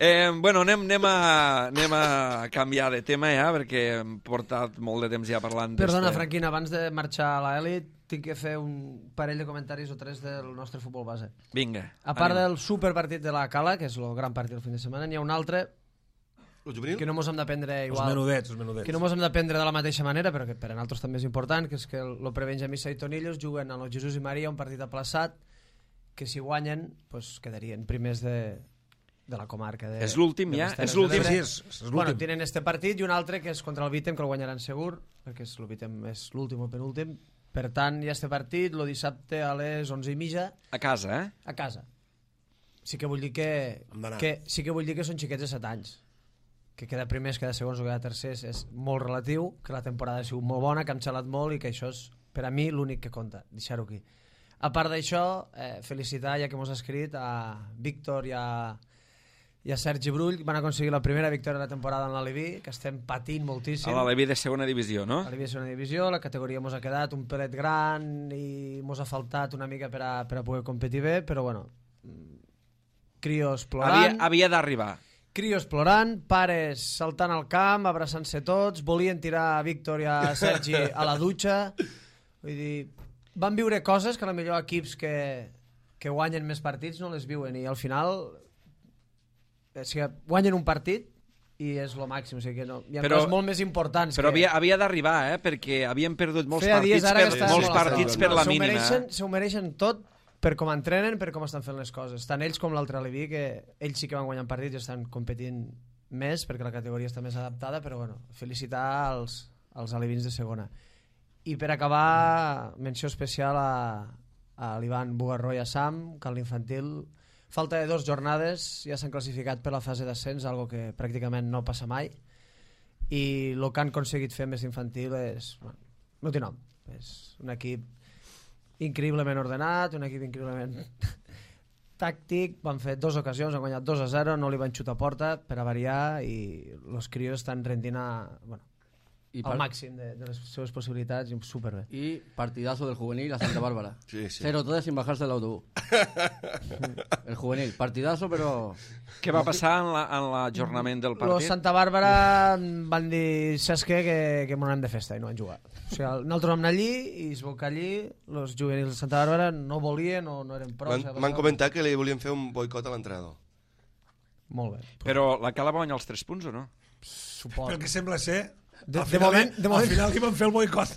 Eh, bueno, anem, anem, a, anem a canviar de tema ja, perquè hem portat molt de temps ja parlant Perdona, d'este- Franquina, abans de marxar a l'elit, tinc que fer un parell de comentaris o tres del nostre futbol base. Vinga. A part anem. del superpartit de la Cala, que és el gran partit del fin de setmana, n'hi ha un altre El juvenil? que no mos hem de prendre Els igual, menudets, els menudets. que no mos hem de prendre de la mateixa manera, però que per a nosaltres també és important, que és que el, el Prebenjamí Saitonillos juguen a los Jesús i Maria un partit aplaçat, que si guanyen, pues, quedarien primers de, de la comarca. De, És l'últim de ja? les Terres És l'últim? de l'Ebre. Sí, és, és l'últim. Bueno, tenen este partit i un altre que és contra el Vítem, que el guanyaran segur, perquè és, el Vítem és l'últim o el penúltim. Per tant, hi ha este partit, el dissabte a les onze i mitja, A casa, eh? a casa. Sí que vull dir que, Hem d'anar. que, sí que vull dir que són xiquets de set anys. Que queda primers, queda segons o queda tercers és molt relatiu, que la temporada ha sigut molt bona, que hem xalat molt i que això és, per a mi, l'únic que compta, deixar-ho aquí. A part d'això, eh, felicitar, ja que mos ha escrit, a Víctor i a, i a Sergi Brull, van aconseguir la primera victòria de la temporada en l'Aleví, que estem patint moltíssim. A l'Aleví de segona divisió, no? A l'Aleví de segona divisió, la categoria mos ha quedat un pelet gran i mos ha faltat una mica per a, per a poder competir bé, però bueno, crios Havia, plorant, havia d'arribar. crios plorant, pares saltant al camp, abraçant-se tots, volien tirar a Víctor i a Sergi a la dutxa. Vull dir, van viure coses que a la millor equips que, que guanyen més partits no les viuen, i al final o sigui, guanyen un partit i és lo màxim, o sigui que no, hi ha Però- coses molt més importants. Però que... havia, havia d'arribar, eh? Perquè havien perdut molts Feia dies partits, ara que per, estaven molts molt partits afectats. per la S'ho mínima. mereixen, Eh? s'ho mereixen tot per com entrenen, per com estan fent les coses. Tant ells com l'altre Aliví, que ells sí que van guanyant partits i estan competint més perquè la categoria està més adaptada, però bueno, felicitar als, als alivins de segona. I per acabar, menció especial a, a l'Ivan Bugarró i a Sam, que a l'infantil falta de dues jornades ja s'han classificat per la fase d'ascens, algo que pràcticament no passa mai, i el que han aconseguit fer més infantil és, bueno, no té nom, és un equip increïblement ordenat, un equip increïblement tàctic, van fer dues ocasions, han guanyat dos a zero, no li van xutar a porta per a variar, i els crios estan rendint a, bueno, I al màxim de, de les seves possibilitats, i superbé. Y partidazo del juvenil a Santa Bárbara. Sí, sí. cero tres sin bajarse del autobús. El juvenil, partidazo, pero... Què va passar en la- en l'ajornament del Los partit? Santa Bàrbara van dir, saps què, que, que m'ho anem de festa, i no van jugar. O sigui, nosaltres vam anar allí i es vau que allí els juvenils de Santa Bàrbara no volien o no eren prou. M'han m'han comentat que li volien fer un boicot a l'entrenador. Molt bé. Però la Cala va guanyar els tres punts o no? Suport. Pel que sembla ser... De- al de final, moment- de moment- Al final li van fer el boicot.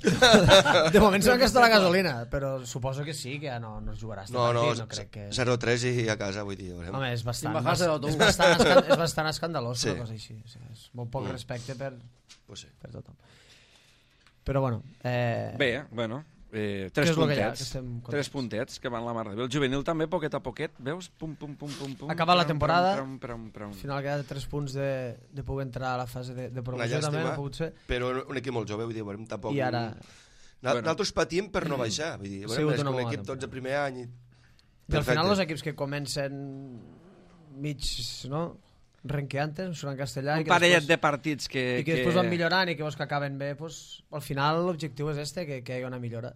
De moment s'han gastat la gasolina, però suposo que sí, que ja no, no es jugarà este No, no, partit, no crec que... zero tres i a casa, vull dir. veurem. Home, és bastant, Sin bajarse del autobús. és bastant, escan- és bastant escandalós, Sí. una cosa així. O sigui, és molt poc Mm. respecte per, Pues sí. per tothom. Però bueno... Eh... Bé, bueno, eh, Què tres és lo que hi ha, que puntets. estem contents? Tres puntets que van la mar de bé. El juvenil també, poquet a poquet, veus? Pum, pum, pum, pum, pum. Acabar la Pram, temporada. pram, pram, pram, Al pram. final queda tres punts de, de poder entrar a la fase de, de Una promoció, també no llàstima, ha pogut ser. però un equip molt jove, vull dir, veurem tampoc... I ara... Na- Bueno. Nosaltres patim per no baixar, vull dir, Ha veurem, sigut és una que un bona equip tots temporada. el primer any... I... I al final Perfecte. els equips que comencen mig, no? Renqueantes, em surt en castellà, Un i que, parellet després, de partits que... i que després van millorant i que veus que acaben bé, pues, al final l'objectiu és este, que, que hi hagi una millora.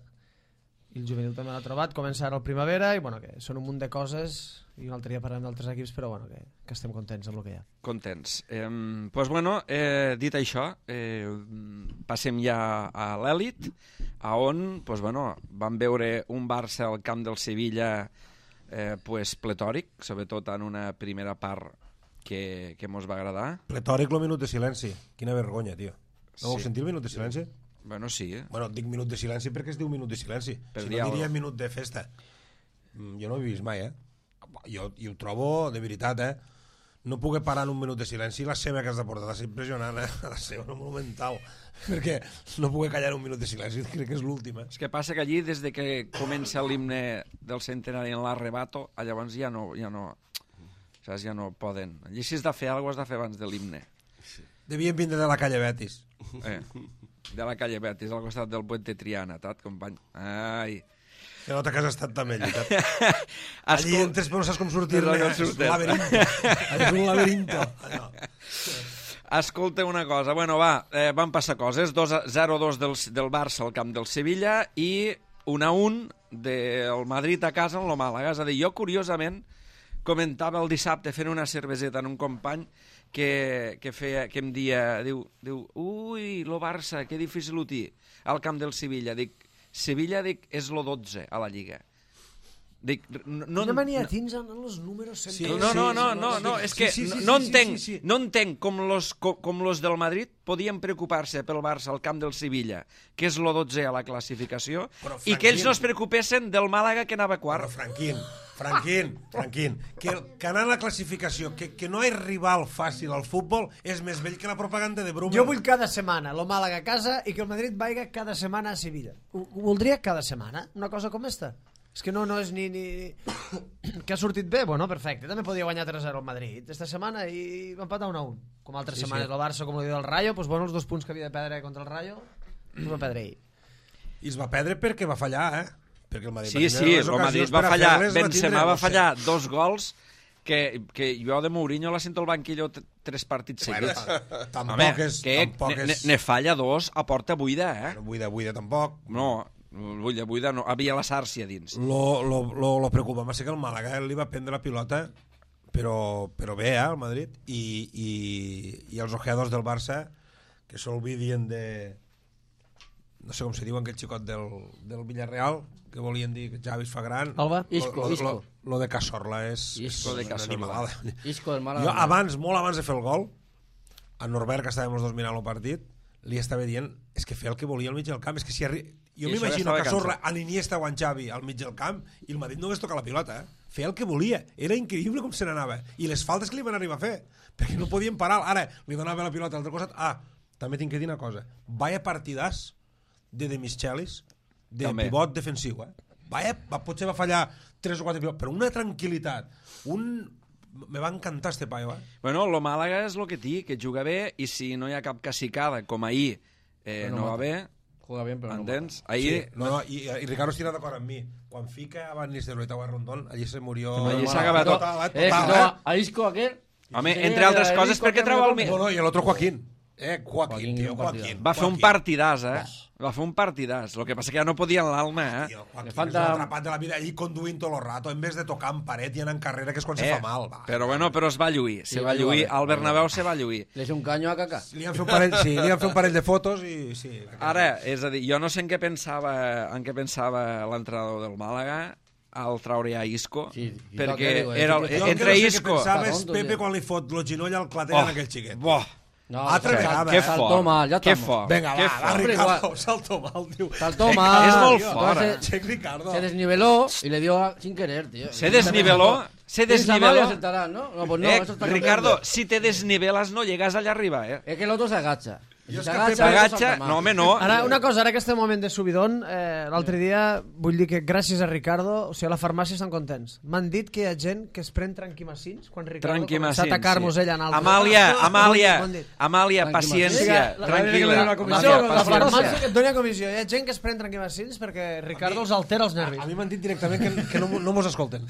I el juvenil també l'ha trobat, comença ara el primavera, i bueno, que són un munt de coses, i un altre dia parlem d'altres equips, però bueno, que, que estem contents amb el que hi ha. Contents. Eh, pues bueno, eh, dit això, eh, passem ja a l'èlit, a on pues bueno, vam veure un Barça al camp del Sevilla eh, pues pletòric, sobretot en una primera part que, que mos va agradar. Pletòric el minut de silenci. Quina vergonya, tio. No vau Sí. sentir el minut de silenci? Bueno, sí, eh? Bueno, dic minut de silenci perquè es diu minut de silenci. Per Si dir no alguna diria cosa. minut de festa. Mm, Jo no ho he vist mai, eh? Jo, jo ho trobo, de veritat, eh? No puc parar en un minut de silenci. La seva que has de portar ha de ser impressionant, eh? La seva, no monumental. Perquè no puc callar un minut de silenci, crec que és l'últim, eh? És que passa que allí, des de que comença l'himne del centenari en l'arrebato, llavors ja no, ja no, saps, ja no poden. Allí si has de fer alguna cosa has de fer abans de l'himne. Devien vindre de la calle Betis. Eh, de la calle Betis, al costat del Puente Triana, tat, company. Ai. Se nota que has estat també, veritat. Escol- Allí entres però no saps com sortir-ne. No, no És un surten. laberinto. És un laberinto. Allò. Escolta una cosa, bueno, va, eh, van passar coses, zero a dos del, del Barça al camp del Sevilla i un a un del Madrid a casa en lo Màlaga. És a dir, jo curiosament comentava el dissabte fent una cerveseta en un company que, que, feia, que em dia, diu, diu, ui, lo Barça, que difícil ho té al camp del Sevilla. Dic, Sevilla, dic, és lo dotze a la Lliga. Dic, no, No, Quina mania tens en els números sempre. Sí, no, no, no, sí, no, sí, no, sí, és que sí, sí, no sí, entenc, sí, sí. no entenc com los, com, com los del Madrid podien preocupar-se pel Barça al camp del Sevilla, que és lo dotze a la classificació, Però, i que ells Franquín. no es preocupessin del Màlaga que anava Però, quart. Franquín, Franquín, Franquín, que, que anar a la classificació, que, que no hi ha rival fàcil al futbol, és més vell que la propaganda de Bruma. Jo vull cada setmana lo Màlaga a casa i que el Madrid vaiga cada setmana a Sevilla. Ho, ho voldria cada setmana, una cosa com esta. És que no, no és ni, ni... que ha sortit bé, bueno, perfecte. També podia guanyar tres a zero al Madrid esta setmana i va empatar un a un. Com altres Sí, setmanes sí. el Barça, com el dia del Rayo, pues, bueno, els dos punts que havia de perdre contra el Rayo, els va perdre ell. I es va perdre perquè va fallar, eh? Perquè el Madrid Sí, va sí, tindre les el Madrid ocasions va per a fallar, fer-les, va Benzema tindre, va no sé. fallar dos gols que, que jo de Mourinho la sento al banquillo t- tres partits Bueno, seguits. tampoc Home, és... que tampoc ne, ne, és... ne falla dos a porta buida, eh? No, buida, buida, tampoc. No, buida, buida, no. Havia la sàrcia dins. Lo, lo, lo, lo preocupant va ser que el Màlaga li va prendre la pilota però, però bé, eh, el Madrid. I, i, i els ojeadors del Barça, que s'olvidien de... No sé com se diuen, aquell xicot del, del Villarreal, que volien dir que Xavi es fa gran. Alba? Isco, lo, lo, Isco. Lo, lo de Cazorla és... Isco és de Cazorla. animalada. Isco del Málaga. Jo abans, molt abans de fer el gol, a Norbert, que estàvem els dos mirant el partit, li estava dient, és que fer el que volia al mig del camp, és que si arri... Jo I això m'imagino ja a estava Cazorla, a l'Iniesta o a en Xavi al mig del camp, i el Madrid no hagués tocat la pilota, eh? Feia el que volia, era increïble com se n'anava, i les faltes que li van arribar a fer, perquè no podien parar, ara li donava la pilota a l'altre costat. Ah, també tinc que dir una cosa, vaya partidàs de Demichelis, de també. Pivot defensiu, eh? Vaya, va, potser va fallar tres o quatre pilots, però una tranquil·litat, un... Me va encantar este paio, eh? Bueno, lo Màlaga és el que té, que juga bé, i si no hi ha cap cacicada, com ahir, eh, no no va mata. bé, Juega bien, però no entens? mata. Ahir... Sí, no, no, i, i Ricardo estirà d'acord amb mi. Quan fica a Van Nistelrooy a Rondón, allí se murió... Allí s'ha acabat tot. Eh, total, no, eh? a Isco aquel... Home, Sí, entre altres el coses, Isco perquè que treu el... me mi- No, no, i l'altre Joaquín. Eh, Joaquín, Joaquín, tio, un partidàs. Joaquín. Va fer un Joaquín. partidàs, eh? Va fer un partidàs. El que passa que ja no podia en l'alma, eh? Tio, Joaquín Le és falta- un atrapat de la vida, allí conduint tot el rato, en vez de tocar en paret i anar en carrera, que és quan se fa mal. Va. Però bueno, però es va lluir. Se Sí, va va lluir. jugar bé. Al Bernabéu se va lluir. Le hizo un caño a Kaká. Li han fet un parell, sí, li han fet un parell de fotos i... Sí, Ara, és a dir, jo no sé en què pensava, en què pensava l'entrenador del Màlaga al traure a Isco, Sí, i perquè toca, digo, eh, era, jo Jo el que entre no sé què Isco... pensava és Está tonto, Pepe tio. quan li fot lo ginoll al clatell Oh, en aquell xiquet. Boh, No, Altra sal- vegada, que eh? Saltó fort, mal, ya que estamos. fort, Vinga, que va, fort. va, Hombre, Ricardo, igual. salto mal, tio. Saltó mal. És molt tío. fort, Entonces, Check Ricardo. se desniveló y le dio a- sin querer, tío. Se desniveló, se Piensa mal y desniveló. acertarás, ¿no? No, pues no, Eh, eso está Ricardo, cambiando. si te desnivelas no llegas allá arriba, eh? Es que el otro se agacha. Y Jo si és se que agacha, Pepe- el otro S'agacha, salta mal. no home, no. Ara, una cosa, ara que estem en moment de subidon, eh, l'altre dia, vull dir que gràcies a Ricardo, o sigui, a la farmàcia estan contents. M'han dit que hi ha gent que es pren tranquimacins quan Ricardo comença a Tranquimacins, atacar-nos sí. ella en altres. Amàlia, Amàlia, M'ho han dit. Amàlia, Tranquimacins. paciència, La- tranquil·la. La, comissió, Amàlia, la farmàcia paciència. que et doni a comissió. Hi ha gent que es pren tranquimacins perquè Ricardo els altera els nervis. A mi m'han dit directament que, que no, no mos escolten.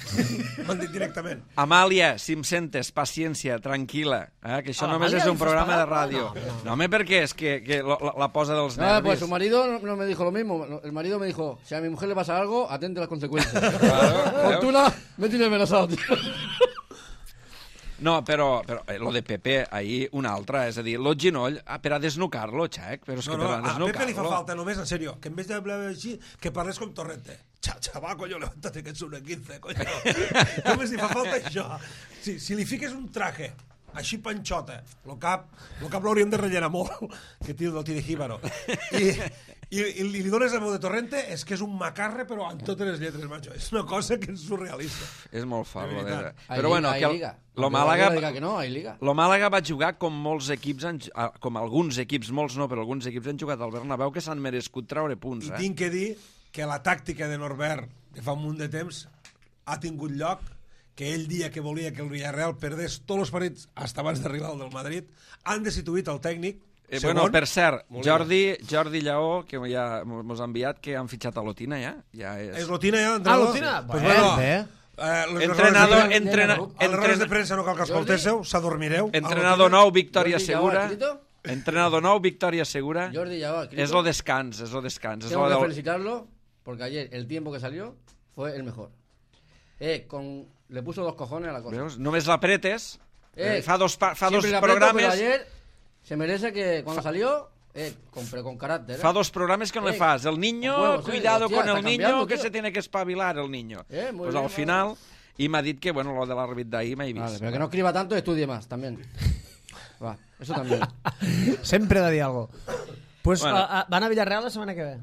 M'han dit directament. Amàlia, si em sentes, paciència, tranquil·la, eh? que això A només l'Amàlia és li un fas programa de pagar? ràdio. No, no, no. No, home, perquè és que, que la, la posa dels No, nervis. pues su marido no, no me dijo lo mismo. El marido me dijo, si a mi mujer le pasa algo, atente a las consecuencias. Claro, Fortuna me tiene amenazado, tío. No, però, però eh, lo de Pepe, ahir una altra, és a dir, lo ginoll, ah, per a desnucar-lo, xec, però és No, que no, per a a Pepe li fa desnucar-lo... falta només, en serio, que en vez de hablar així, que parles com Torrente. Xa, xaval, coño, levántate que ets una quince, coño. Només li fa falta això. Si, si li fiques un traje així panxota, el cap, el cap l'hauríem de rellenar molt, que tio del Tide Jíbaro. I, i, i li dones la veu de Torrente, és que és un macarre, però amb totes les lletres, macho. És una cosa que és surrealista. És molt fort. De Lo de... veritat. Hay Però bueno, liga, que hay el, liga. lo Aunque Màlaga... Guardiola diga que no, hay liga. Lo Màlaga va jugar com molts equips, han, ah, com alguns equips, molts no, però alguns equips han jugat al Bernabéu que s'han merescut treure punts, I eh? tinc que dir que la tàctica de Norbert de fa un munt de temps ha tingut lloc, que ell dia que volia que el Villarreal perdés tots els partits fins abans d'arribar al del Madrid, han destituït el tècnic. Eh, segon, bueno, per cert, Molina. Jordi, Jordi Lleó, que ja mos ha enviat, que han fitxat a Lotina, ja. ja és... És Lotina ja, Ah, entrenador? Lotina? Pues Bé, bueno, bé. eh, les Entrenador, errores de- entrena, Els errores de entren, premsa no cal que escoltéssiu, s'adormireu. entrenador nou, victòria Jordi Lleó, segura. escrito? Entrenador nou, victòria segura. Jordi ya va escrito. És lo descans, és lo descans. És Tengo lo que del... felicitarlo porque ayer el tiempo que salió fue el mejor. Eh, con... Le puso dos cojones a la cosa. Veus? Només l'apretes, Eh, eh, fa dos, pa- fa dos Siempre le aprieto, pero programes... ayer se merece que cuando salió, eh, con, pero con carácter. ¿eh? Fa dos programes que no le Eh, fas. El niño, con huevos, eh, cuidado hostia, con el está niño, cambiando, que tío. se tiene que espabilar el niño. Eh, muy pues bien, al final, i m'ha dit que, bueno, lo de l'àrbit d'ahir m'he vist. Vale, pero que no escriba tanto y estudie más también. Va, eso también. Sempre he de dir alguna cosa. Pues, Bueno. a, a, van a Villarreal la setmana que ve.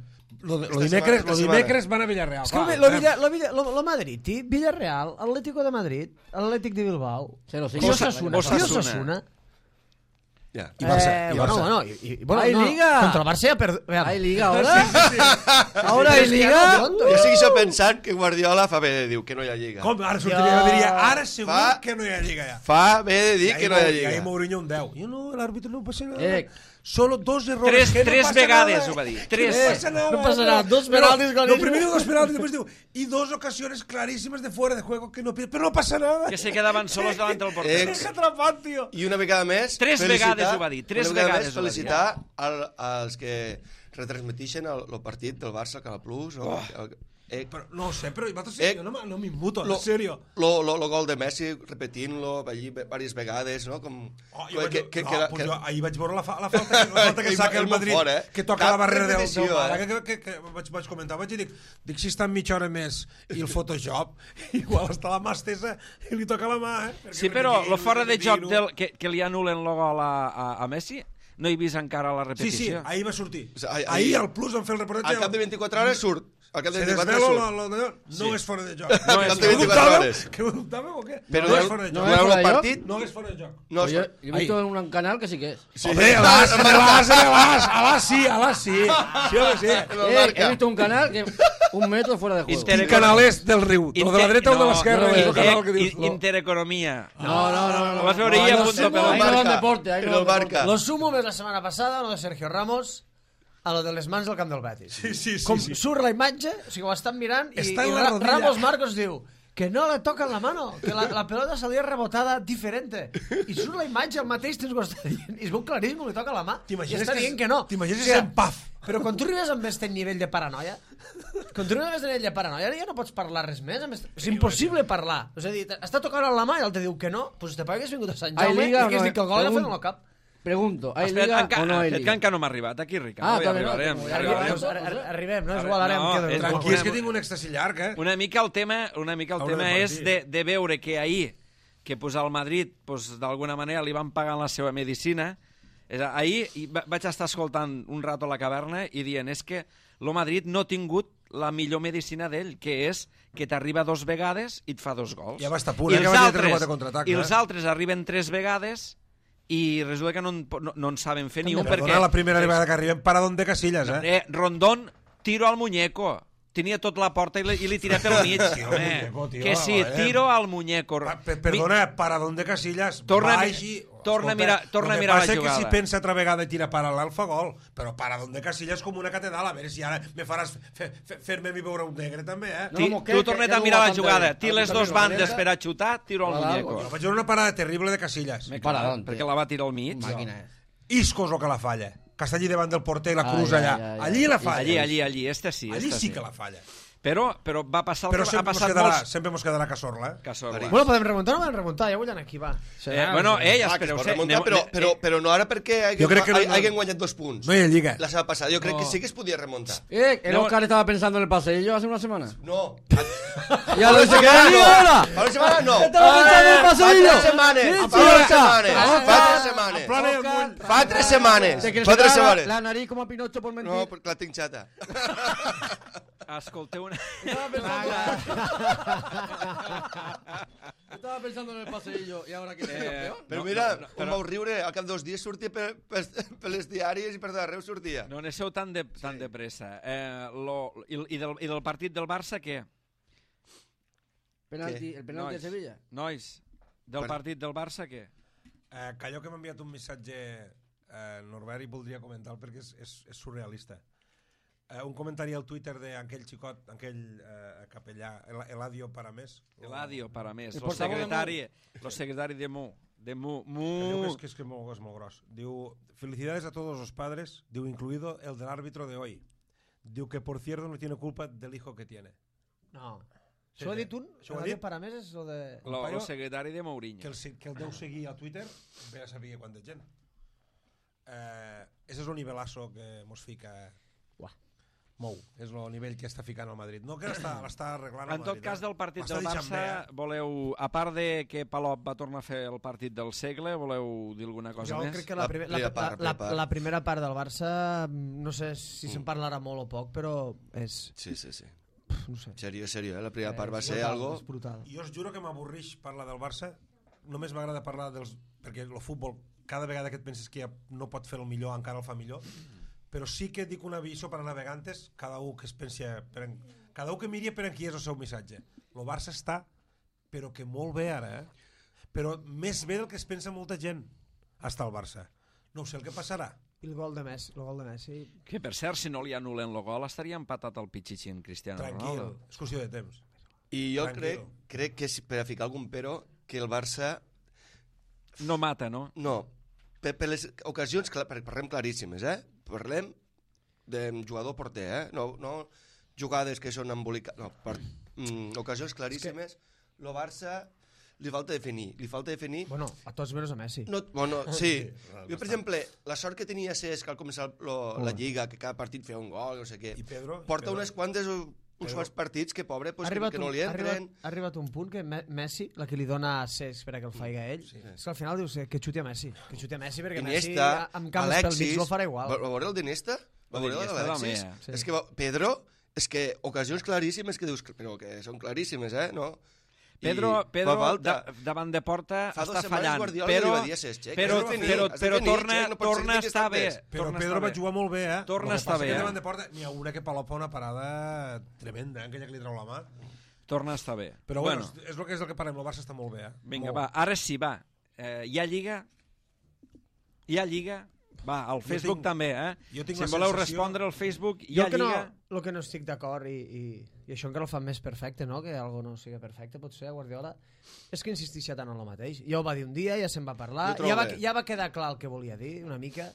Lo, de, lo, Esta dimecres, setmana- lo esta dimecres van a Villarreal. És que clar, lo, eh? Villa, lo, Villa, lo, lo Madrid, tí, Villarreal, Atlético de Madrid, Atlètic de Bilbao, Se lo i sigue. Osasuna. Osasuna. I Osasuna. Ja. I Barça, Eh, i bueno, Barça. bueno, y, y- bueno, ¡Hay no, liga! Contra el Barça ja per... ¿Hay liga ahora? ¿Ahora hay liga? Jo segueixo pensant que Guardiola fa bé de dir que no hi ha lliga. Com? Ara sortiria, jo diria, ara segur Fa- que no hi ha lliga ja. Fa bé de dir I que ahí no hi ha Mou- I ahí lliga. Mourinho un deu. Jo no, l'àrbitre no passa nada. Eh. Solo dos errores. Tres, que no tres pasa vegades nada. ho va dir. Que Tres. No pasa nada. No pasa nada. Dos Pero penaltis Lo clarísimos. primero dos penaltis, después digo, y dos ocasiones clarísimas de fuera de juego que no pide. Pero no pasa nada. Que se quedaven solos davant del porter. Eh, És atrapat, tio. I una vegada més... Tres felicitar- vegades ho va dir, tres una vegada vegades més ho va dir. felicitar al, als que retransmetixen el, el partit del Barça al Canal Plus. O, Oh. el, Eh, però no ho sé, però eh, jo no, no m'immuto, lo, en sèrio. Lo, lo, lo gol de Messi, repetint-lo allí diverses vegades, no? Com, oh, jo que, vaig, que, no, que, pues que, jo ahir vaig veure la, fa, la falta, la falta que saca el Madrid, fort, eh? Que toca Cap la barrera del, del Mara, eh? que, que, que vaig, vaig comentar, vaig dir, dic, dic si està mitja hora més i el Photoshop, igual està la mà estesa i li toca la mà, eh? Perquè sí, però el fora de joc del, que, que li anulen el gol a, a, a Messi, no he vist encara la repetició. Sí, sí, ahir va sortir. O sigui, ahir, ahir al Plus vam fer el reportatge. Al cap de vint-i-quatre hores surt. Al cap de vint-i-quatre hores surt. Lo, lo, lo, no sí. és fora de joc. No és de vint-i-quatre hores. Que ho dubtàveu o què? Però no, no és fora de joc. No és fora de partit? No és fora de joc. No, yo, yo he visto en un canal que sí que es. Sí. Hombre, alas, alas, alas, alas, sí, alas, sí. Sí, home, sí. Eh, he visto un canal que un metro fuera de juego. Quin canal és del riu? El de la dreta o de l'esquerra? No, no, eh, Intereconomia. No, no, no. Lo vas a veure ahí a punto pelota. Ahí no van deporte, ahí no van deporte. Lo sumo més la setmana passada, lo de Sergio Ramos, a lo de les mans del camp del Betis. Sí, sí, sí. Com sí. surt la imatge, o sigui, ho estan mirant, i, Està i en la Ra rodilla. Ramos Marcos diu que no le tocan la mano, que la, la pelota salía rebotada diferente. I surt la imatge, el mateix temps que ho està dient, i es veu claríssim, li toca la mà, i està dient que no. T'imagines que és en paf. Però quan tu arribes amb aquest nivell de paranoia, quan tu arribes amb aquest nivell de paranoia, ja no pots parlar res més. Est... És impossible parlar. És a dir, està tocant la mà i el te diu que no, doncs te hagués vingut a Sant Jaume i hagués dit que el gol l'ha fet en el cap. Pregunto, ¿hay Espera, liga enca, o no hay liga? liga? Que encara no m'ha arribat, aquí, Ricard. Ah, Avui arribarem. no, Ja arribarem. Arribem, arribem, no és igual, ara no, em quedo. és- Tranquil, és que tinc un èxtasi llarg, eh? Una mica el tema, una mica el Haurem tema de és partir. de, de veure que ahir, que pues, al Madrid pues, d'alguna manera li van pagant la seva medicina. És, a- ahir i va- vaig estar escoltant un rato a la caverna i dient és que el Madrid no ha tingut la millor medicina d'ell, que és que t'arriba dos vegades i et fa dos gols. Ja va estar a punt, I eh, que els va tenir tres o altres, quatre contraatacs, i eh? els altres arriben tres vegades i resulta que no, en- no, no en saben fer ni un Perdona, perquè... la primera vegada que arribem paradón de Casillas, eh? Eh, Rondón, tiro al muñeco. Tenia tot la porta i li, i li tira pel mig. Sí, home. muñeco, tio, Que sí, eh? tiro al muñeco. Pa- per- Perdona, paradón de Casillas, Torna a mi- baix i... torna a mirar- torna a el que mirar la passa jugada. que si pensa altra vegada i tira paral·lel fa gol, però paradón de Casillas com una catedral, a veure si ara me faràs fe- fe- fer-me a mi veure un negre també, eh? No, Ti, como que- tu que- torna't que a no mirar va la bastante jugada. bien. Té Al les cambio dos no bandes valenta. per a xutar, tiro al Claro, muñeco. Jo vaig veure una parada terrible de Casillas. Me Paradón, cago, perquè tío. la va tirar al mig. Máquina es. Iscos o que la falla. Que està allí davant del porter i la Ai, cruz ai, allà. ai, ai. Allí la falla. Allí, allí, allí. Este sí, Allí este sí que la falla. Però, però va passar el Però que ha sempre mos passat quedarà, molts... sempre mos quedarà Casorla, eh? Casorla. Bueno, podem remuntar o no podem remuntar? Ja vull anar aquí, va. Eh, bueno, eh, ja Ah, que es espereu. pot sé, remuntar, aneu- però, eh, però, però no ara perquè Jo crec que no- hagin guanyat dos punts. No hi ha lliga. La setmana passada. Jo crec No. que sí que es podia remuntar. Eh, el No. Oscar estaba pensando en el paseillo hace una semana. No. Ya lo dice que Fa no. no. Fa una setmana no. Estaba pensando en el Fa paseillo. tres setmanes. Sí, Fa sí, tres Oscar. setmanes. Oscar. Fa tres setmanes. Plana i el Oscar. bull. Fa tres setmanes. Te quieres Fa tres sacar la, setmanes. la nariz como a Pinocho por mentir. No, perquè la tinc xata. Escolteu una... Estaba pensando... Estaba pensando en el paseillo y ahora que se Eh, peor. Però No, mira, no, no, com però- vau riure, al cap dos dies sortia per, per, per les diàries i per d'arreu sortia. No aneu tan de, tan de pressa. Eh, lo, i, i, del, I del partit del Barça, què? Penalti, el penalti de Sevilla. Nois, del Per- partit del Barça, què? Eh, que allò que m'ha enviat un missatge eh, Norbert i voldria comentar perquè és, és, és surrealista. Eh, un comentari al Twitter d'aquell xicot, aquell eh, capellà, El- Eladio Paramés. Eladio, para més. El Lo portavoz de secretari, lo secretari de Mu. De Mu. Que diu que Mu. és, que és, que és, molt, és molt gros. Diu, felicidades a todos los padres, diu, incluido el del árbitro de hoy. Diu que, por cierto, no tiene culpa del hijo que tiene. No. Sí, Això ho ha sí. dit un? Això ho ha El de dit? Paramés és lo de... Lo, paio lo secretari de Mourinho. Que el, se- que el deu seguir a Twitter, ve a saber quanta gent. Eh, ese és el nivelazo que mos fica... Uah. Mou, és el nivell que està ficant al Madrid. No que l'està l'està arreglant el En tot Madrid, cas, eh? del partit L'està del deixant Barça, bé, eh? voleu, a part de que Palop va tornar a fer el partit del segle, voleu dir alguna cosa Jo més? crec que la, La primer, la, primera la, part, la, la primera part. la primera part del Barça, no sé si se'n parlarà molt o poc, però és... Sí, sí, sí. pf, No sé. Serio, serio, eh? La primera part va És ser brutal, algo... És brutal. Jo us juro que m'avorreix parlar del Barça. Només m'agrada parlar dels... Perquè el futbol, cada vegada que et penses que ja no pot fer el millor, encara el fa millor. Però sí que dic un aviso per a navegantes, cada un que es pensi... Per en... Cada un que miri per en qui és el seu missatge. El Barça està, però que molt bé ara, eh? Però més bé del que es pensa molta gent. Està el Barça. No ho sé el que passarà. I el gol de Messi, el gol de Messi... Que, per cert, si no li anulen el gol, estaria empatat el Pichichi en Cristiano Tranquil, Ronaldo. és qüestió de temps. I jo crec, Tranquilo. crec que, si- per a ficar algun però, que el Barça... No mata, no? No, per, per les ocasions, clar, parlem claríssimes, eh? Parlem de jugador porter, eh? No, no, jugades que són embolicades, no, per, mm, ocasions claríssimes, el que... Barça li falta definir, li falta definir... Bueno, a tots menys a Messi. No, bueno, sí. Jo, per exemple, la sort que tenia Cesc al començar lo, la Lliga, que cada partit feia un gol, no sé què, I Pedro, porta Pedro. unes quantes... uns quants partits que, pobre, pues, que, que no li ha entren. arribat, ha arribat un punt que Messi, la que li dona a Cesc per a que el faci a ell, sí. És que al final dius que xuti a Messi, que xuti a Messi, perquè Messi amb camps pel mig no farà igual. Va veure el d'Iniesta? Va veure el d'Alexis? És que Pedro, és que ocasions claríssimes que dius, però que són claríssimes, eh? No? Pedro, Pedro da, davant de porta Fa està fallant, Guardiola però, dir a Cesc, però, finir, però, però finir, torna, no torna a estar bé. Però torna Pedro estar va bé. jugar molt bé, eh? Torna a estar bé. Que davant de porta n'hi ha una que Palop fa una parada tremenda, eh? Aquella que li treu la mà. Torna a estar bé. Però bueno, bueno, és el que és el que parlem, el Barça està molt bé, eh? Vinga, molt. va, ara sí, va. Eh, hi ha Lliga? Hi ha Lliga? Va, al Facebook tinc, també, eh? Jo tinc si la voleu sensació... respondre al Facebook, hi jo ha que Lliga? No, el que no estic d'acord, i, i, i això encara el fa més perfecte, no? Que algo no sigui perfecte, pot ser, Guardiola, és que insistixia tant en el mateix. Ja ho va dir un dia, ja se'n va parlar, ja va, ja va quedar clar el que volia dir, una mica...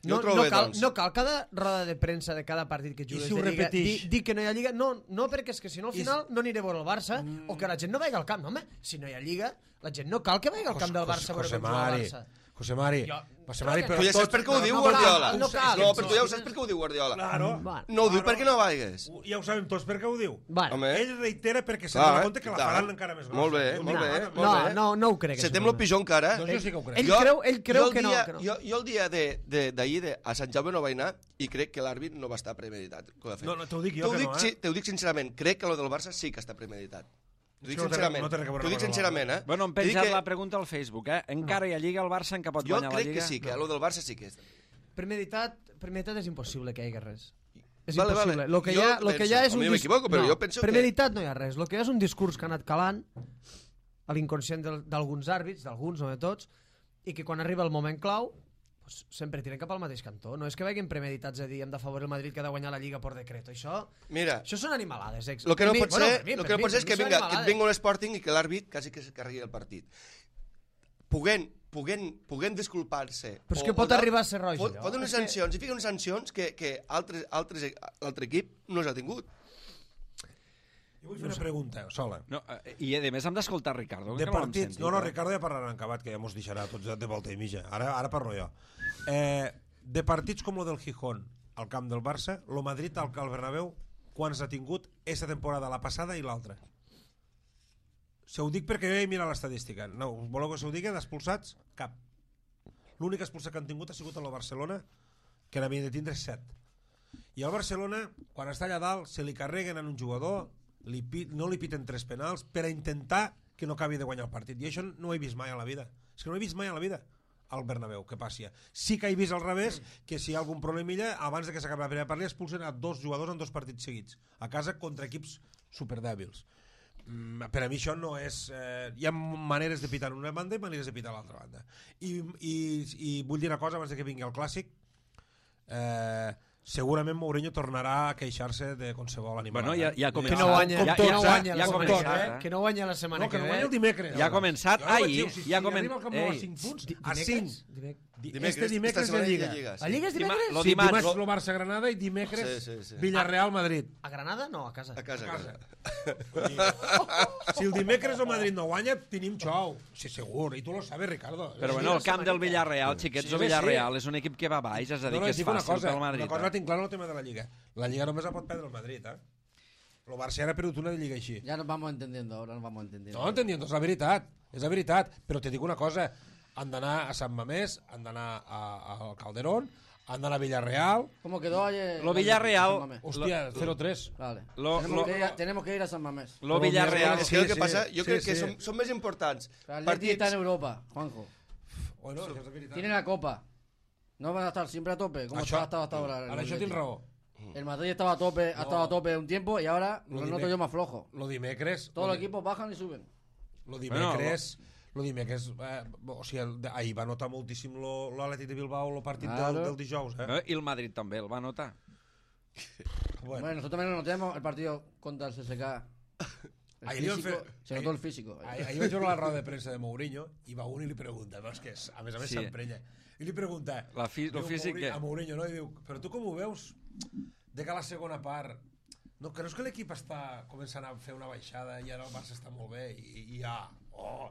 No, no, bé, cal, doncs. no cal cada roda de premsa de cada partit que jugues si ho de Lliga dir, dir que no hi ha Lliga, no, no perquè és que si no al final no aniré a veure el Barça mm. o que la gent no vagi al camp, no, home, si no hi ha Lliga la gent no cal que vagi al camp del Barça a veure com juga el Barça. José Mari, Jo- José Mari, però però Tu ja saps per què ho diu no Guardiola. cal, no cal. No, però tu ja ho saps per què ho diu Guardiola. Claro. No ho diu perquè no vagis. Ja ho sabem tots per què ho diu. Bueno, Home, Ell reitera perquè se clar, dona compte que la clar. faran encara més grossa. Molt bé, Diu, molt mira, bé, ara, molt no, bé. no, no ho crec. Se tem lo pitjor encara. Doncs jo sí que ho crec. Ell creu, ell creu jo el que no, dia, que no. Jo, jo el dia d'ahir de, de, de, a Sant Jaume no vaig anar i crec que l'àrbit no va estar premeditat. Que ho ha fet. No, no, t'ho dic jo T'ho que dic, no, eh? sí, t'ho dic sincerament, crec que lo del Barça sí que està premeditat. T'ho dic no té- sincerament, no té res a veure t'ho dic amb el sincerament, eh? Bueno, hem T'he dit penjat que la pregunta al Facebook, eh? Encara hi ha Lliga, el Barça encara pot Jo guanyar la crec Lliga? que sí, que lo del Barça sí que és. Premeditat, premeditat és impossible que hi hagi res. És Vale, impossible. vale. Lo que Jo hi ha, lo que hi ha penso, és un a mi m'equivoco, però jo penso que- premeditat no hi ha res. Lo que hi ha és un discurs que ha anat calant a l'inconscient del- d'alguns àrbits, d'alguns, no de tots, i que quan arriba el moment clau pues, sempre tiren cap al mateix cantó. No és que vagin premeditats a dir hem d'afavorir el Madrid que ha de guanyar la Lliga per decret. Això, Mira, això són animalades. Ex. el que no Per mi- pot bueno, ser, per mi- lo per que no mi- pot ser per és que mi són vinga, que et animalades. vingui l'Sporting i que l'àrbit quasi que se carregui el partit. Puguent, puguent, puguent disculpar-se. Però és o- que o pot de- arribar a ser roja, Pot, allò. pot unes És que- sancions, i fica unes sancions que, que altres, altres, l'altre equip no s'ha tingut. Jo vull fer una pregunta, sola. No, eh, I a més hem d'escoltar Ricardo. De que no l'hem partits... sentit, No, no, eh? Ricardo ja parlarà en acabat, que ja mos deixarà tots de volta i mitja. Ara, ara parlo jo. Eh, de partits com el del Gijón, al camp del Barça, lo Madrid al al Bernabéu, quants ha tingut esta temporada, la passada i l'altra? Se ho dic perquè jo he mirat l'estadística. No, voleu que se ho digui d'expulsats? Cap. L'únic expulsat que han tingut ha sigut el Barcelona, que n'havien de tindre set. I al Barcelona, quan està allà dalt, se li carreguen en un jugador, li, pi- no li piten tres penals per a intentar que no acabi de guanyar el partit. I això no ho he vist mai a la vida. És que no ho he vist mai a la vida al Bernabéu, que passi. Sí que he vist al revés, que si hi ha algun problemilla, abans de que s'acabi la primera partida, expulsen a dos jugadors en dos partits seguits, a casa contra equips superdèbils. Mm, per a mi això no és... Eh, hi ha maneres de pitar en una banda i maneres de pitar a l'altra banda. I, i, I vull dir una cosa abans de que vingui el Clàssic. Eh, segurament Mourinho tornarà a queixar-se de qualsevol animal. Bueno, ja, ja ha Que començat. no guanya, ja, que ja, no ja, guanya ja la ha setmana començat, que ve. eh? Que no guanya la setmana No, que que no ve. guanya el dimecres. Ja ha començat Jo no vaig ahir, dir, si, ja ha si comen- arriba al Camp Nou a Ei. cinc punts, Di- a dimecres? cinc. Dimecres? Di- Dimecres, este dimecres esta de setmana hi ha Lliga. Lliga, sí. La Lliga és Dima- dimecres? lo Sí, dimarts- dimarts lo Barça-Granada i dimecres Sí, sí, sí. Villarreal-Madrid. A Granada? No, a casa. A casa, a casa. Si el dimecres el Madrid no guanya, tenim xou. Sí, segur. I tu lo sabes, Ricardo. Però bueno, el camp del Villarreal, xiquets, Sí, el sí. Villarreal és un equip que va baix, és a dir, No, no, que et és dic una fàcil cosa, pel Madrid. una cosa la eh? tinc clara en el tema de la Lliga. La Lliga només la pot perdre el Madrid, eh? El Barça ara ha perdut una de Lliga així. Ya nos vamos entendiendo, ahora nos vamos entendiendo. No, entendiendo, és la veritat. És la veritat. Però te dic una cosa. Han d'anar a Sant Mamés, han d'anar a- al Calderón, han d'anar a Villarreal. ¿Cómo quedó ayer? Lo Villarreal- San Mamés? Hòstia, cero tres. Vale. Lo- tenemos, lo- que ir a, tenemos que ir a San Mamés. Lo Però Villarreal... mira, És que el que sí, passa, sí, jo crec sí, que sí. són, són més importants El Atleti partits... está en Europa, Juanjo. Bueno, això és la veritat. Tiene la Copa. No van a estar siempre a tope, como Això- estaba hasta, hasta ahora. el Ara això Atleti. tens raó. El Madrid estaba a tope, ha estado a tope un tiempo y ahora Lo lo dime- noto yo más flojo. Lo dimecres... Todos lo los di- equipos bajan y suben. Lo dimecres... Lo dimecres... Eh, o sigui, el, de- ahir va notar moltíssim lo- l'Atlètic de Bilbao el partit Claro. del, del dijous, eh? Eh? I el Madrid també el va notar. Bueno, Bueno, nosotros también lo notemos el partido contra el C S K. El Ahí le iban físico, fe- se notó el físico. ahir, ahir vaig veure la roda de premsa de Mourinho i va un i li pregunta, no, és que és, a més a més Sí. s'emprenya, i li pregunta La fi- lo diu físic Mourinho, que- a Mourinho, no? I diu, però tu com ho veus? de que a la segona part... No, creus que l'equip està començant a fer una baixada i ara el Barça està molt bé i, i ja... Oh,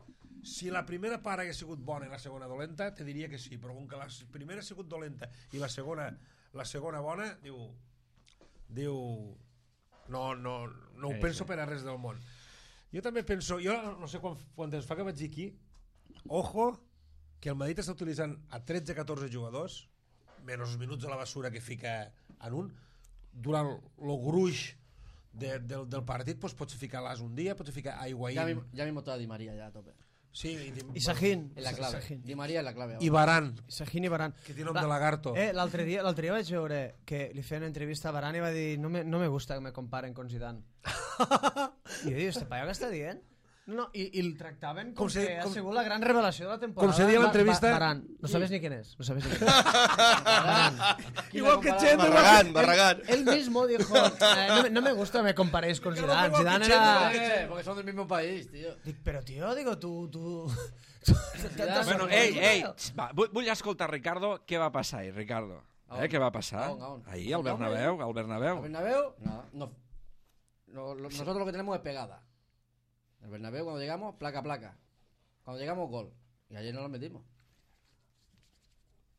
si la primera part hagués sigut bona i la segona dolenta, te diria que sí, però com que la primera ha sigut dolenta i la segona, la segona bona, diu... Diu... No, no, no ho sí, penso sí. per a res del món. Jo també penso... Jo no sé quan, quan temps fa que vaig dir aquí, ojo, que el Madrid està utilitzant a tretze catorze jugadors, menys els minuts de la basura que fica en un, durant el gruix de, del, del partit doncs pots ficar l'As un dia, pots ficar a Higuaín... Ya, mi- ya mismo está Di María ya a tope. Sí, i, I Sahin. Es la clave. Sahin. Di María es la clave. i ahora. Varane, Sahin i Varane. que té nom de lagarto. Eh, l'altre dia, l'altre dia vaig veure que li feien entrevista a Varane i va dir no me, no me gusta que me comparen con Zidane. I jo dic, este paio què està dient? No, no, i, i el tractaven com, Com se- que ha com- sigut la gran revelació de la temporada. com se deia a Va- l'entrevista- Va- Varane. No sabes ni quién es. No sabes ni quién es. Igual que Chendo. Barragán, Barragán. Él mismo dijo, eh, no, me- no me gusta que me comparéis con Zidane. igual que Zidane Chendo. era... Eh, porque son del mismo país, tío. Dic, però tio, digo, tu... tu... Bueno, ei, ei, va, vull, vull escoltar Ricardo, què va passar ahir, Ricardo? A Eh, on? què va passar? A on, a on? Ahir, al ¿A on, Bernabéu, al ¿El Bernabéu. Bernabéu? No, no. Lo- lo- nosotros lo que tenemos es pegada. El Bernabéu cuando llegamos, placa a placa. Cuando llegamos, gol. Y ayer no lo metimos.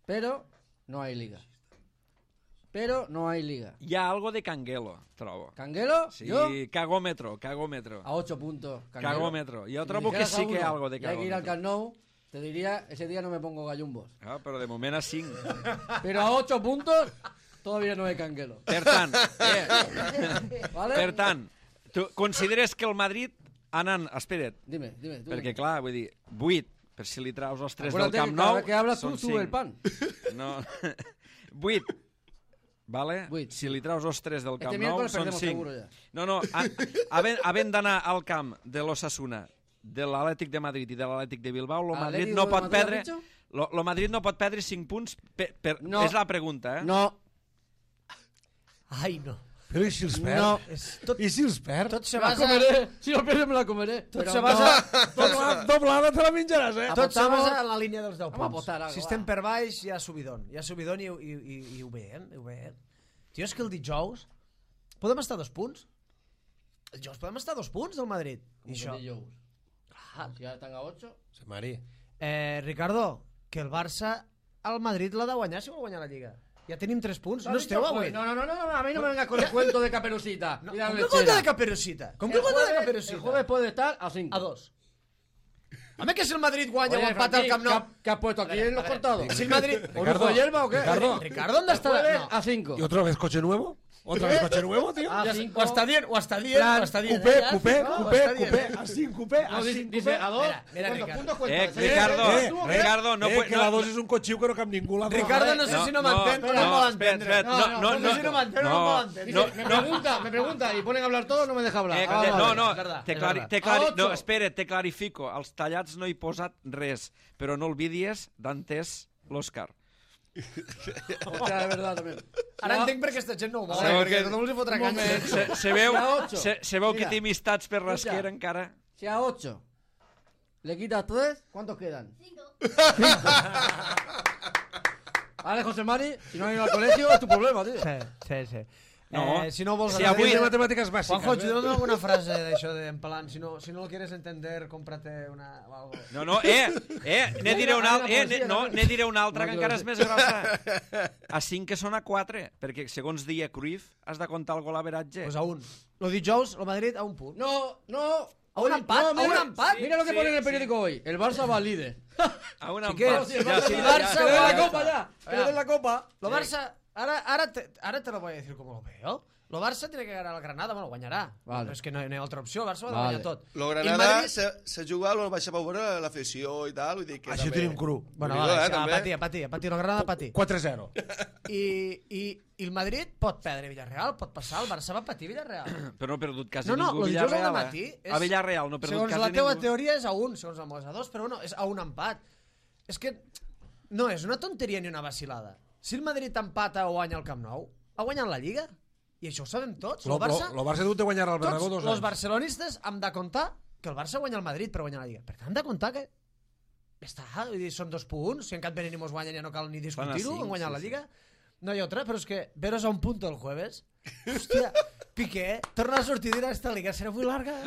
Pero no hay liga. Pero no hay liga. Hi ha algo de canguelo, trobo. ¿Canguelo? Sí, ¿Yo? cagómetro, cagómetro. A ocho puntos. Canguelo. Cagómetro. Yo Si trobo me que dijeras sí a que hay uno algo de y hay que ir al cagómetro. Camp Nou, te diría, ese día no me pongo gallumbos. Ah, però de moment a cinc. Pero a ocho puntos, todavía no hay canguelo. Per tant, eh, ¿Vale? per tant, tu consideres que el Madrid anant... Espera't, Dime, dime. Tú. perquè clar, vull dir, vuit, per si li traus els tres del Acuérdate Camp que cada Nou, vez que hablas tú, són sube el cinc. pan. No, vuit, vale? Vuit. Si li traus els tres del Este Camp Nou, miércoles són perdemos cinc. seguro ya. No, no, a, havent, havent d'anar al camp de l'Osasuna, de l'Atlètic de Madrid i de l'Atlètic de Bilbao, el Madrid ¿Atlético no de pot Madrid, perdre... has dicho? Lo, lo Madrid no pot perdre cinc punts per, per, No. és la pregunta, eh? No, Ai, no. Però i si els perd? no. És tot, I si els perd? tot se Me la basa... comeré. Si lo pierdo, me la comeré. Tot Pero se no. basa... Doblada, doblada te la menjaràs, eh? Tot se Apostamos- basa en la línia dels deu Vamos a punts. apostar algo, Si va. estem per baix, hi ha subidon. Hi ha subidon i, i, i, i ho veiem, ho veiem. Tio, és que el dijous podem estar a dos punts. El dijous podem estar a dos punts del Madrid. I Como això... que Jones. Si ya están a ocho. Se Mari. Eh, Ricardo, que el Barça al Madrid l'ha de guanyar si vol guanyar la Lliga. Ja tenim tres punts. No esteu avui? No, no, no, no, no, a mí no me vengas con el cuento de Caperucita. No, y la com que lechera. guanya de Caperucita? Com que El guanya de jueves- El Caperucita? jueves puede estar a cinco. A dos. Home, que si el Madrid guanya Oye, o empata al Franqui, Camp ¿qué Nou... ha- ¿qué has puesto aquí en los cortados? Si el Madrid... ¿Orujo de hierba o qué? Ricardo. Ricardo, ¿dónde está? Jueves No. a cinco. ¿Y otra vez coche nuevo? ¿Otra vez coche nuevo, tío? A Ja- cinco. Ho està dient, ho està dient, Plan, ho està dient. cupé, eh, ja? cupé, No, ho cupé, està dient. cupé, a cinc, cupé, a No, dice, cinc, dice cupé. a dos. Mira, mira, ¿Cuántos Ricardo. puntos Eh, cuentas? Ricardo, Eh, ¿Tú, Ricardo, no eh, puede... que la dos és un cotxiu que no cap ningú. La Ricardo, droga, no eh? sé si no No, m'entén, però no, no vol espera, entendre. espera, no, no, no sé si no m'entén, no, no. no vol entendre. Dice, me pregunta, me pregunta y ponen a hablar todos, no me deja hablar. Eh, Ah, te- vale. no, no, és verdad, te és clari, verdad. te clari, A ocho. no, espera, te clarifico. Als tallats no he posat res, però no olvidis d'antes l'Òscar. Hostia, es verdad también. Ara Ya- entenc perquè aquesta gent no ho vol, Sí, eh, perquè perquè- tothom els hi fotrà Un canya. moment. Se, se veu, A ocho. se, se veu que Mira. té amistats per Escucha. rasquera encara. Si a ocho le quitas tres, ¿cuántos quedan? Cinco. Vale, José Mari, si no has ido al colegio es tu problema, tío. Sí, sí, sí. No. Eh, si no vols... Si anar- avui- de matemàtiques bàsiques. Juanjo, eh? ayúdame alguna frase d'això de en plan, si no, si no lo quieres entender, cómprate una... o algo. No, no, eh, eh, ne diré una, al- eh, ne, no, ne diré una altra No, que que encara lo és més grossa. A cinc que són a quatre, perquè segons dia Cruyff has de comptar el gol averatge. Pues a un. Lo dijous, el Madrid a un punt. No, no. ¿A un Hoy- empat? no, ¿A mira- un empat? Mira lo que Sí, pone en el sí. periódico hoy. El Barça va líder. A un que- empat. Sí, el Ja, Barça sí, va ja, Barça ja. Que le den va- la copa ya. Que le den la copa. Lo Barça, ahora, ahora, te, ahora te lo voy a decir como lo veo. Lo Barça tiene que ganar al Granada, bueno, guanyarà. Vale. Però és que no, no hi ha altra opció, el Barça ho ha de Vale. guanyar tot. Lo I el Granada Madrid- se, se juga, lo baixa a veure l'afició i tal, vull dir que Així ho també... tenim cru. Bueno, Déu-n'hi-do, vale, eh, a també. patir, a patir, a patir, el Granada a patir. quatre zero. I, i, I el Madrid pot perdre Villarreal, pot passar, el Barça va patir Villarreal. Però no ha perdut quasi No, no, ningú el dijous al Villarreal. dematí eh? és- A Villarreal no ha perdut Segons quasi la teua ningú. teoria és a un, segons el meu és a dos, però bueno, és a un empat. És que no és una tonteria ni una vacilada. Si el Madrid empata o guanya el Camp Nou, ha guanyat la Lliga. I això ho sabem tots. Lo, el Barça, lo, lo Barça ha dut de guanyar al Bernabéu tots dos els anys. barcelonistes hem de comptar que el Barça guanya el Madrid per guanyar la Lliga. Per tant, hem de comptar que ja està, vull dir, són dos punts, si en cap venir mos guanyen ja no cal ni discutir-ho, cinc, han guanyat sí, la Lliga. No hay otra, pero es que veros a un punto el jueves. Hostia, Piqué, torna a sortir de esta liga, será muy larga.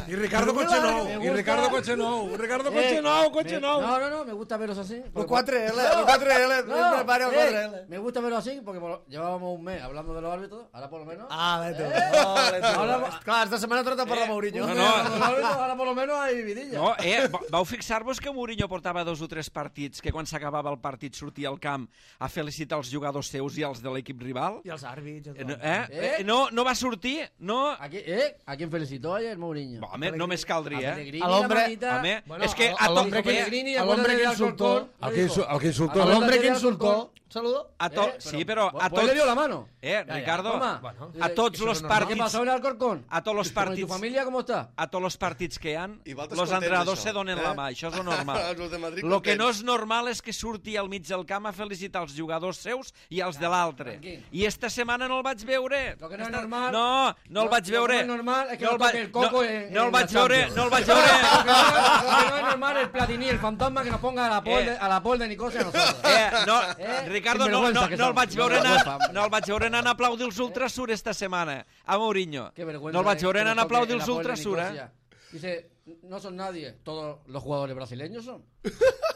Y Ricardo Cochenou, y Ricardo Cochenou, Ricardo Cochenou, Cochenou. No, no, no, me gusta verlos así. Los cuatro L, los cuatro L, No, me paro eh, cuatro L. me gusta verlo así porque por- llevábamos un mes hablando de los árbitros, ahora por lo menos. Ah, vete. Eh, No, vete. ahora- Clar, esta setmana trata per la Mourinho. no, No, no. no, los árbitros, ahora por lo menos hay vidilla. No, eh, va- vau fixar-vos que Mourinho portava dos o tres partits que quan s'acabava el partit sortia al camp a felicitar els jugadors seus i els de l'equip rival? I els àrbits. Eh, no, eh? Eh, no, no va sortir? No? ¿A quién, eh? ¿A quién felicitó ayer Mourinho? Home, només caldria, eh? Pellegrini, Al hombre- la manita. Home, Bueno, és que al- a al tot... hombre que- Pellegrini, al hombre acuérdate que de insultó. Alcorcón, Al le que, dijo. insu- al que insultó. Al Al hombre que de insultó. Alcorcón. Saludo. A to... Eh, Sí, però a Pues le dio tots... la mano. Eh, ya. Ricardo, Toma. Bueno. a tots Eso los es normal. ¿Qué partits... pasó en Alcorcón? A tots los ¿Y tu partits... familia cómo está? A tots els partits que hi ha, I vosaltres los contents, entrenadors això, se donen eh? la mà, això és lo normal. Els de Madrid Lo que no contents. és normal és que surti al mig del camp a felicitar els jugadors seus i els de l'altre. tranquil. I esta setmana no el vaig veure. Lo que no es Esta- normal- No, no el Lo- vaig lo que veure. no es normal es que no no el vaig- toque el coco no, en- no el en vaig la veure, Champions. no el vaig Lo veure. que no, lo que no es normal el Platini, el fantasma que nos ponga a la pol Eh. de, a la pol de Nicosia a nosotros. Eh, no, Eh, Ricardo, no, sinvergüenza no, que no el som. vaig veure No, anant, vergüenza. no el vaig veure anant a aplaudir els Ultrasur esta setmana, a Mourinho. Qué vergüenza. No el vaig eh, veure que anant nos a aplaudir toque els la pol de Ultrasur, eh? Nicosia. Dice, no son nadie, todos los jugadores brasileños son.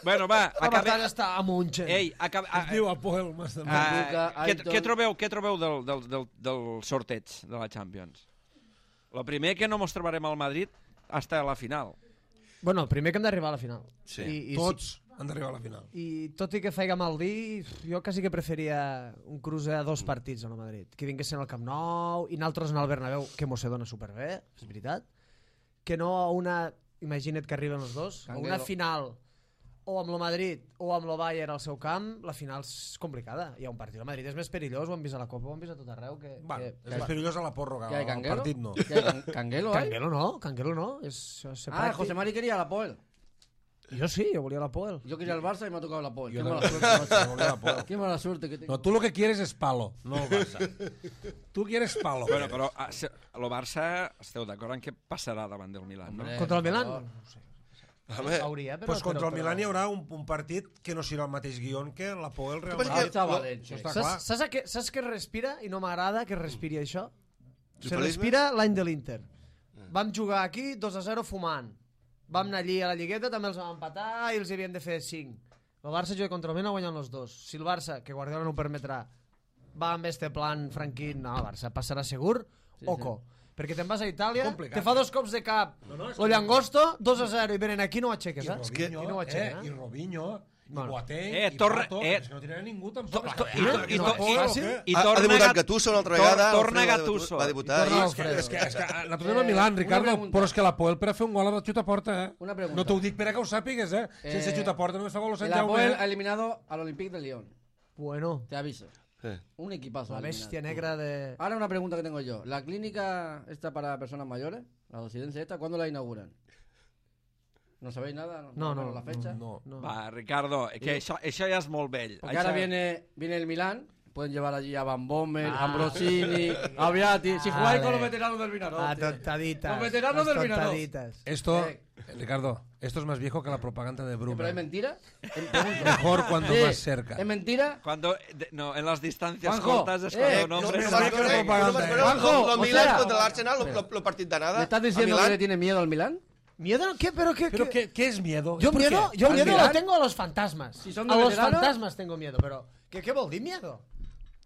Bueno, va, La acabem... batalla està a Munchen. Ei, acabem... Es diu Apoel, Master. Ah, Luka, què, Aiton. què trobeu, què trobeu del, del, del, del sorteig de la Champions? El primer que no mos trobarem al Madrid hasta la final. Bueno, el primer que hem d'arribar a la final. Sí. I, i, Tots han d'arribar a la final. I tot i que feiga mal dir, jo quasi que preferia un cruce a dos partits a Madrid. Que vinguessin al Camp Nou i naltros en el Bernabéu, que mos se dona superbé, és veritat. Que no a una... Imagina't que arriben els dos. A una Canguelo. final o amb el Madrid o amb el Bayern al seu camp, la final és complicada. Hi ha un partit al Madrid, és més perillós, ho hem vist a la Copa, ho hem vist a tot arreu. Que, Va, que... és més perillós a la pròrroga, ¿Qué hay, al Canguelo? partit no. ¿Qué hay, Can- Canguelo hay? Canguelo no, Canguelo no. És, és Ah, José Mari quería la Poel. Jo sí, jo volia la Poel. Yo quería el Barça y me ha tocado la Poel. Yo Qué no- mala suerte, yo volví a la macho. Poel. Qué mala suerte que tengo. No, tú lo que quieres es palo, no el Barça. Tú quieres palo. Bueno, però a, se- el Barça, esteu d'acord en què passarà davant del Milan, no? Hombre, Contra el por Milan? favor. No sé. Home, Hauria, però... pues contra però, el Milan hi haurà un, un partit que no serà el mateix guion que la Poel Real passa Madrid. que- Ah, València. Això està clar. Saps, saps, a què, saps què respira? I no m'agrada que respiri això. Se Triomfalisme? respira l'any de l'Inter. Vam jugar aquí dos a zero fumant. Vam anar allí a la Lligueta, també els vam empatar i els hi havien de fer cinc. El Barça juga contra el Milan guanyant els dos. Si el Barça, que Guardiola no ho permetrà, va amb este plan franquín, no, el Barça passarà segur, Sí, oco. Perquè te'n vas a Itàlia, Complicat, te fa dos cops de cap, No, no, és lo Llangosto, dos a zero, i venen aquí no ho aixeques, I eh? Robinho, I no ho eh, aixequen, i eh? Robinho, i Bueno. Boateng, Eh, i torna- Pato, eh, és que no tindrà ningú tampoc. to- És i que- to- és i que to- la Poel, i- o què? I ha, ha torna debutat Gat- Gattuso una altra tor- vegada. torna Alfredo va Gattuso. debutar- Va debutar I torna ahir. Alfredo. És que, és que nosaltres anem Eh, a Milan, una Ricardo, pregunta. però és que la Poel per a fer un gol ha de xutar a porta, eh? Una pregunta. No t'ho dic per a que ho sàpigues, eh? Sense Eh, xutar a porta només fa gol a Sant El Apoel Jaume. ha eliminado al Olympique de Lyon. Bueno, Te aviso. Sí. Un equipazo. la ha eliminado. bestia negra de... Ahora una pregunta que tengo yo. ¿La clínica esta para personas mayores, la residencia esta, cuándo la inauguran? ¿No sabéis nada? No, no, Bueno, la fecha. No. No. Va, Ricardo, que això, això ja és molt vell. Porque Això... ahora viene, viene el Milán. Pueden llevar allí a Van Bommel, Ah. a Ambrosini, a Viati. Si jugáis Vale. con los veteranos del Vinaró. Ah, tontaditas. Los veteranos las del Vinaró. tontaditas. Esto, Eh. Ricardo, esto es más viejo que la propaganda de ¿Pero es Bruma. mentira? Em- pregunto. Mejor cuando Sí, más cerca. ¿Es mentira? Cuando, de- no, en las distancias Juanjo, cortas es eh, cuando no, un hombre... no, se- no, no, propaganda, eh. Juanjo, Lo o Milan sea- contra l'Arsenal, lo- lo- lo partit d'anada. ¿Me estás a diciendo Milán. que le tiene miedo al Milán? ¿Miedo? ¿Qué? ¿Pero qué? ¿Pero qué? qué, qué es miedo? Yo ¿Por miedo, qué? yo ¿Al miedo Milán? lo tengo a los fantasmas. Si son de a los veteranos. fantasmas tengo miedo, pero ¿qué, qué vol dir miedo?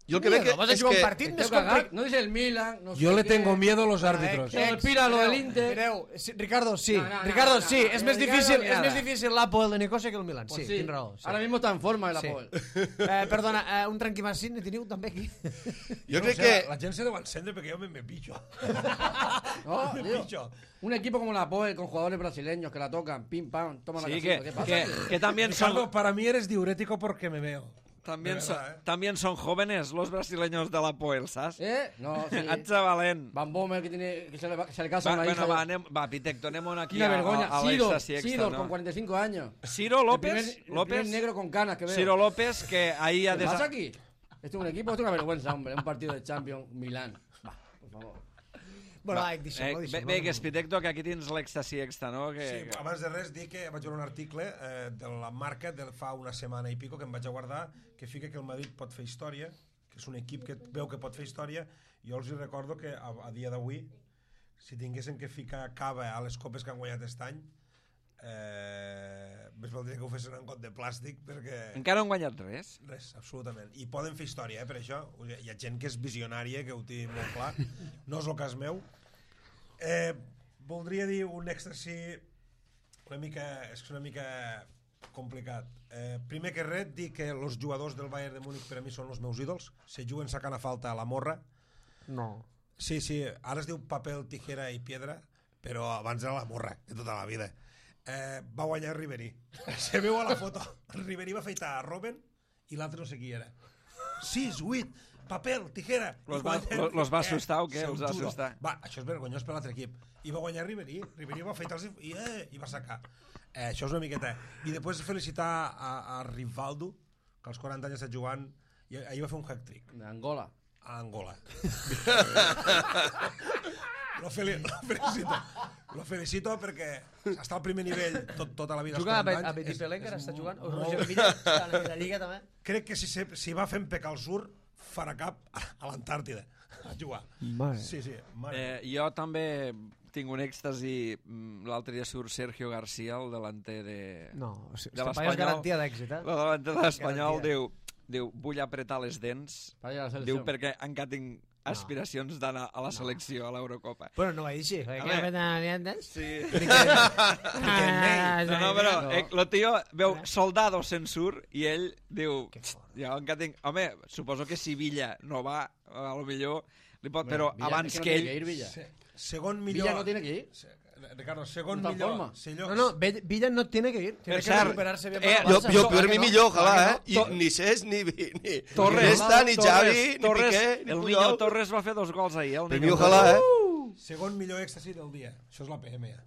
Jo el que Miedo, veig vas a és jugar un que... partit Tengo més que cagar. complicado. No dice el Milan. No Yo sé le qué. tengo miedo a los árbitros. Eh, Pira lo del Inter. Mireu, sí, Ricardo, sí. No, no, no, Ricardo, no, sí. no, és no, més Ricardo, difícil, ni és nada. més difícil l'Apoel de Nicosia que el Milan. Pues Sí, tens raó. Sí. Ahora mismo está en forma el Sí. Apoel. Eh, perdona, eh, un tranquimacín ne teniu també aquí. Jo No, crec o sea, que... La gent se deu encendre perquè jo me, me picho. No, me tío. picho. Un equipo como la Apoel con jugadores brasileños que la tocan, pim pam, toma la Sí, casita. que, ¿Qué pasa? que, que también son... Ricardo, para mí eres diurético porque me veo. También De son, verdad, ¿eh? también son jóvenes los brasileños de la Poel, ¿sabes? ¿Eh? No, sí. Ets valent. Van Bommel que, tiene, que, se, le va, que se le casa Va, una bueno, hija. va, anem, va, Pitec, donem-ho aquí Quina a, vergonya. a, a Sidor, l'Extasi Extra, Sidor no? con cuarenta y cinco años. Ciro López, El primer, el López, primer negro con canas que veo. Ciro López, que ahí ha ¿Qué pasa desa... aquí? Esto es un equipo, esto es una vergüenza, hombre. Un partido de Champions, Milán. Va, por favor. Bueno, va, deixem-lo, deixem-lo. Bé, que Espitecto, que aquí tens l'èxtasi extra, no? Que, Sí, que... abans de res dic que vaig veure un article eh, de la marca de fa una setmana i pico que em vaig a guardar, que fica que el Madrid pot fer història, que és un equip que veu que pot fer història. Jo els recordo que a, a dia d'avui, si tinguessin que ficar cava a les copes que han guanyat aquest any, eh, més valdria que ho fessin en got de plàstic, perquè... Encara no han guanyat res? Res, absolutament. I poden fer història, eh, per això. Hi ha gent que és visionària, que ho té molt clar. No és el cas meu. Eh, voldria dir un èxtasi una mica, és una mica complicat. Eh, primer que res, dir que els jugadors del Bayern de Múnich per a mi són els meus ídols. Se juguen sacant a falta a la morra. No. Sí, sí, ara es diu paper, tijera i piedra, però abans era la morra, de tota la vida. Eh, va guanyar Ribéry. Se veu a la foto. Ribéry va afeitar a Robben i l'altre no sé qui era. sis, vuit, paper, tijera. Los va, los, los va assustar o què? Els va assustar. Va, això és vergonyós per l'altre equip. I va guanyar Ribéry. Ribéry va afeitar-se i, eh, i va sacar. Eh, això és una miqueta. I després felicitar a, a Rivaldo, que als quaranta anys està jugant, i ahir va fer un hat-trick. D'Angola. A Angola. Lo, fel lo felicito. Lo felicito perquè està al primer nivell tot, tota la vida. Juga a, a Petit Pelenca, està jugant. O Roger Villa, està a la Lliga també. Crec que si, se, si va fent pecar al sur, farà cap a l'Antàrtida a jugar. Mare. Sí, sí. Mare. Eh, jo també tinc un èxtasi. L'altre dia surt Sergio García, el delanter de... No, o sigui, de és garantia d'èxit, eh? El delanter de l'Espanyol diu, diu, vull apretar les dents, diu, perquè encara tinc aspiracions d'anar a la selecció, a l'Eurocopa. Bueno, no va dir així. Sí. Ah, no, no, però eh, el tio veu Soldados en sur i ell diu, jo encara tinc... Home, suposo que si Villa no va, a lo millor li pot, però abans que ell... Segon millor... Villa no tiene que ir. Ricardo, segon no millor... No, no, Villa no tiene que ir. Tiene Per que cert, recuperarse bien. eh, Jo, jo per mi millor, ojalà, eh? I To- ni Cesc, ni, ni Torres, Iniesta, ni Xavi, Torres, ni Torres, Piqué, ni el Puyol. Niño Torres va fer dos gols ahir. El Per mi Niño ojalà, Torres. eh? Segon millor èxtasi del dia. Això és la P M. Ja.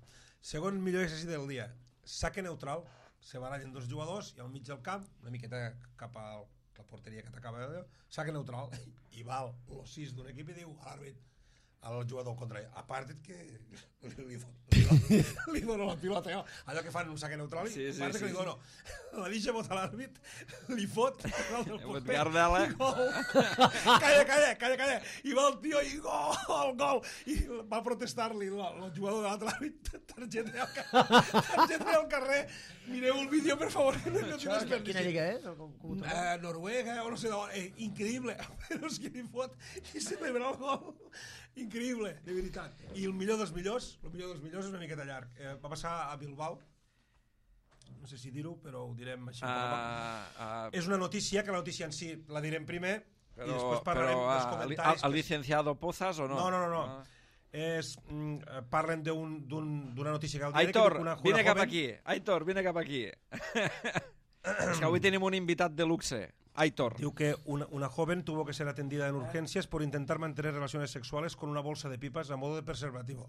Segon millor èxtasi del dia. Saque neutral. Se barallen dos jugadors i al mig del camp, una miqueta cap a la porteria que t'acaba de dir, saque neutral. I val el sis d'un equip i diu a l'àrbit, al jugador contrari, aparta't que li, li, li, li dono la pilota, eh? Allò que fan un saque neutral, Sí, sí, aparta't sí, que li sí. dono. La deixa botar l'àrbit, li fot, Fot Gardela. calla, calla, calla, calla, i va el tio i gol, gol, i va protestar-li el jugador de l'altre àrbit, targeta al carrer, targeta al carrer, mireu el vídeo, per favor, que no, no Això, quina lliga és? Eh, Noruega, o no sé d'on, eh, increïble, però és que li fot i celebra el gol. Increïble, de veritat. I el millor dels millors, el millor dels millors és una miqueta llarg. Eh, va passar a Bilbao, no sé si dir-ho, però ho direm així. Ah, ah, És una notícia, que la notícia en si la direm primer, i però, després parlarem però dels ah, comentaris. el, el licenciado Pozas o no? No, no, no. no. Ah. És, mm, parlen d'una un, un, notícia que al diari Aitor, que diu una, una vine cap joven- aquí. Aitor, vine cap aquí. És que avui tenim un invitat de luxe. Aitor. Diu que una, una joven tuvo que ser atendida en urgencias por intentar mantener relaciones sexuales con una bolsa de pipas a modo de preservativo.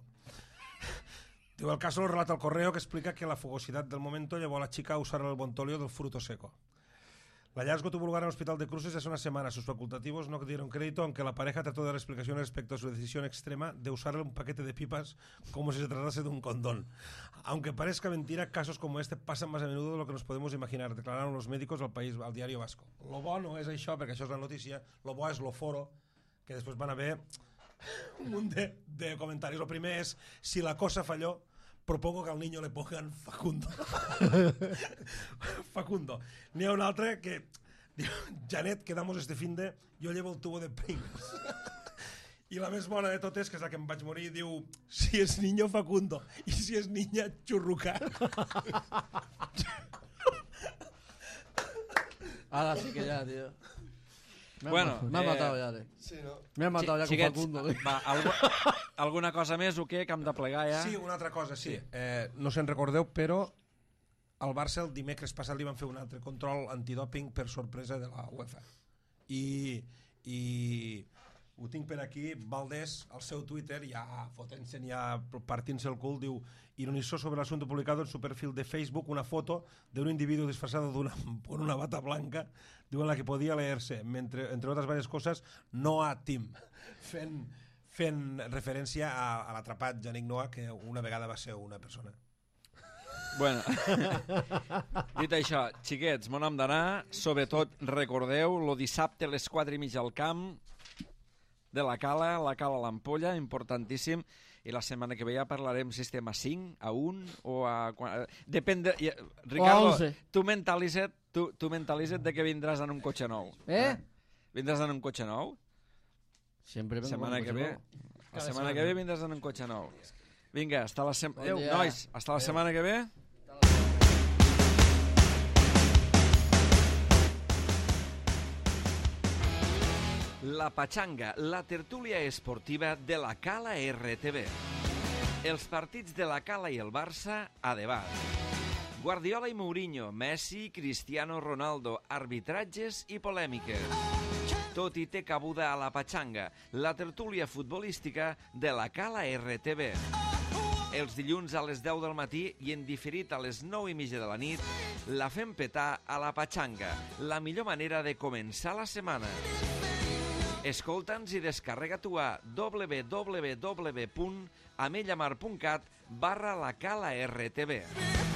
Diu, el caso lo relata el correo, que explica que la fogosidad del momento llevó a la chica a usar el bontolio del fruto seco. El hallazgo tuvo lugar en el hospital de Cruces hace una semana. Sus facultativos no dieron crédito, aunque la pareja trató de dar explicaciones respecto a su decisión extrema de usar un paquete de pipas como si se tratase de un condón. Aunque parezca mentira, casos como este pasan más a menudo de lo que nos podemos imaginar, declararon los médicos al país, al diario Vasco. Lo bo no és això, perquè això és la notícia, lo bo és lo foro, que després van haver un munt de, de comentaris. El primer és, si la cosa falló, propongo que al niño le pongan Facundo. Facundo. N'hi ha un altre que diu, Janet, quedamos este finde, yo llevo el tubo de Pringles. I la més bona de totes, que és la que em vaig morir, diu, si és niño Facundo i si és niña Churruca. Ahora sí que ya, tío. Me Bueno, han, me han eh, matado ya, tío. Sí, no? Me han matado ya con Xiquets, Facundo. tío. va, algu alguna cosa més o què? Que hem de plegar ja? Sí, una altra cosa, sí. Eh, no se'n recordeu, però al Barça el dimecres passat li van fer un altre control antidòping per sorpresa de la UEFA. I, i ho tinc per aquí, Valdés, al seu Twitter, ja fotent-se'n, ja partint-se el cul, diu, ironizó sobre el asunto publicado en su perfil de Facebook una foto de un individuo disfrazado de una, con una bata blanca, diu, en la que podía leerse, entre, entre otras varias cosas, no a Tim, fent, fent referència a, a l'atrapat Yannick Noah, que una vegada va ser una persona. Bueno, dit això, xiquets, mon hem d'anar. Sobretot, recordeu, lo dissabte a les quatre i mitja al camp de la Cala, la Cala a l'Ampolla, importantíssim. I la setmana que ve ja parlarem si estem a cinc, a un o a... Depèn de... Ricardo, tu mentalitza't, tu, tu mentalitza't de que vindràs en un cotxe nou. Eh? Vindràs en un cotxe nou? Sempre vengo setmana con que un ve. cotxe nou. La setmana que ve vindràs en un cotxe nou. Vinga, hasta la setmana... Bon dia. Nois, hasta la setmana que ve. La Pachanga, la tertúlia esportiva de la Cala R T V. Els partits de la Cala i el Barça a debat. Guardiola i Mourinho, Messi, Cristiano Ronaldo, arbitratges i polèmiques. Tot i té cabuda a la Pachanga, la tertúlia futbolística de la Cala R T V. Els dilluns a les deu del matí i en diferit a les nou i mitja de la nit, la fem petar a la Pachanga, la millor manera de començar la setmana. Escolta'ns i descarrega-t'ho a w w w punt amellamar punt cat barra la Cala R T V.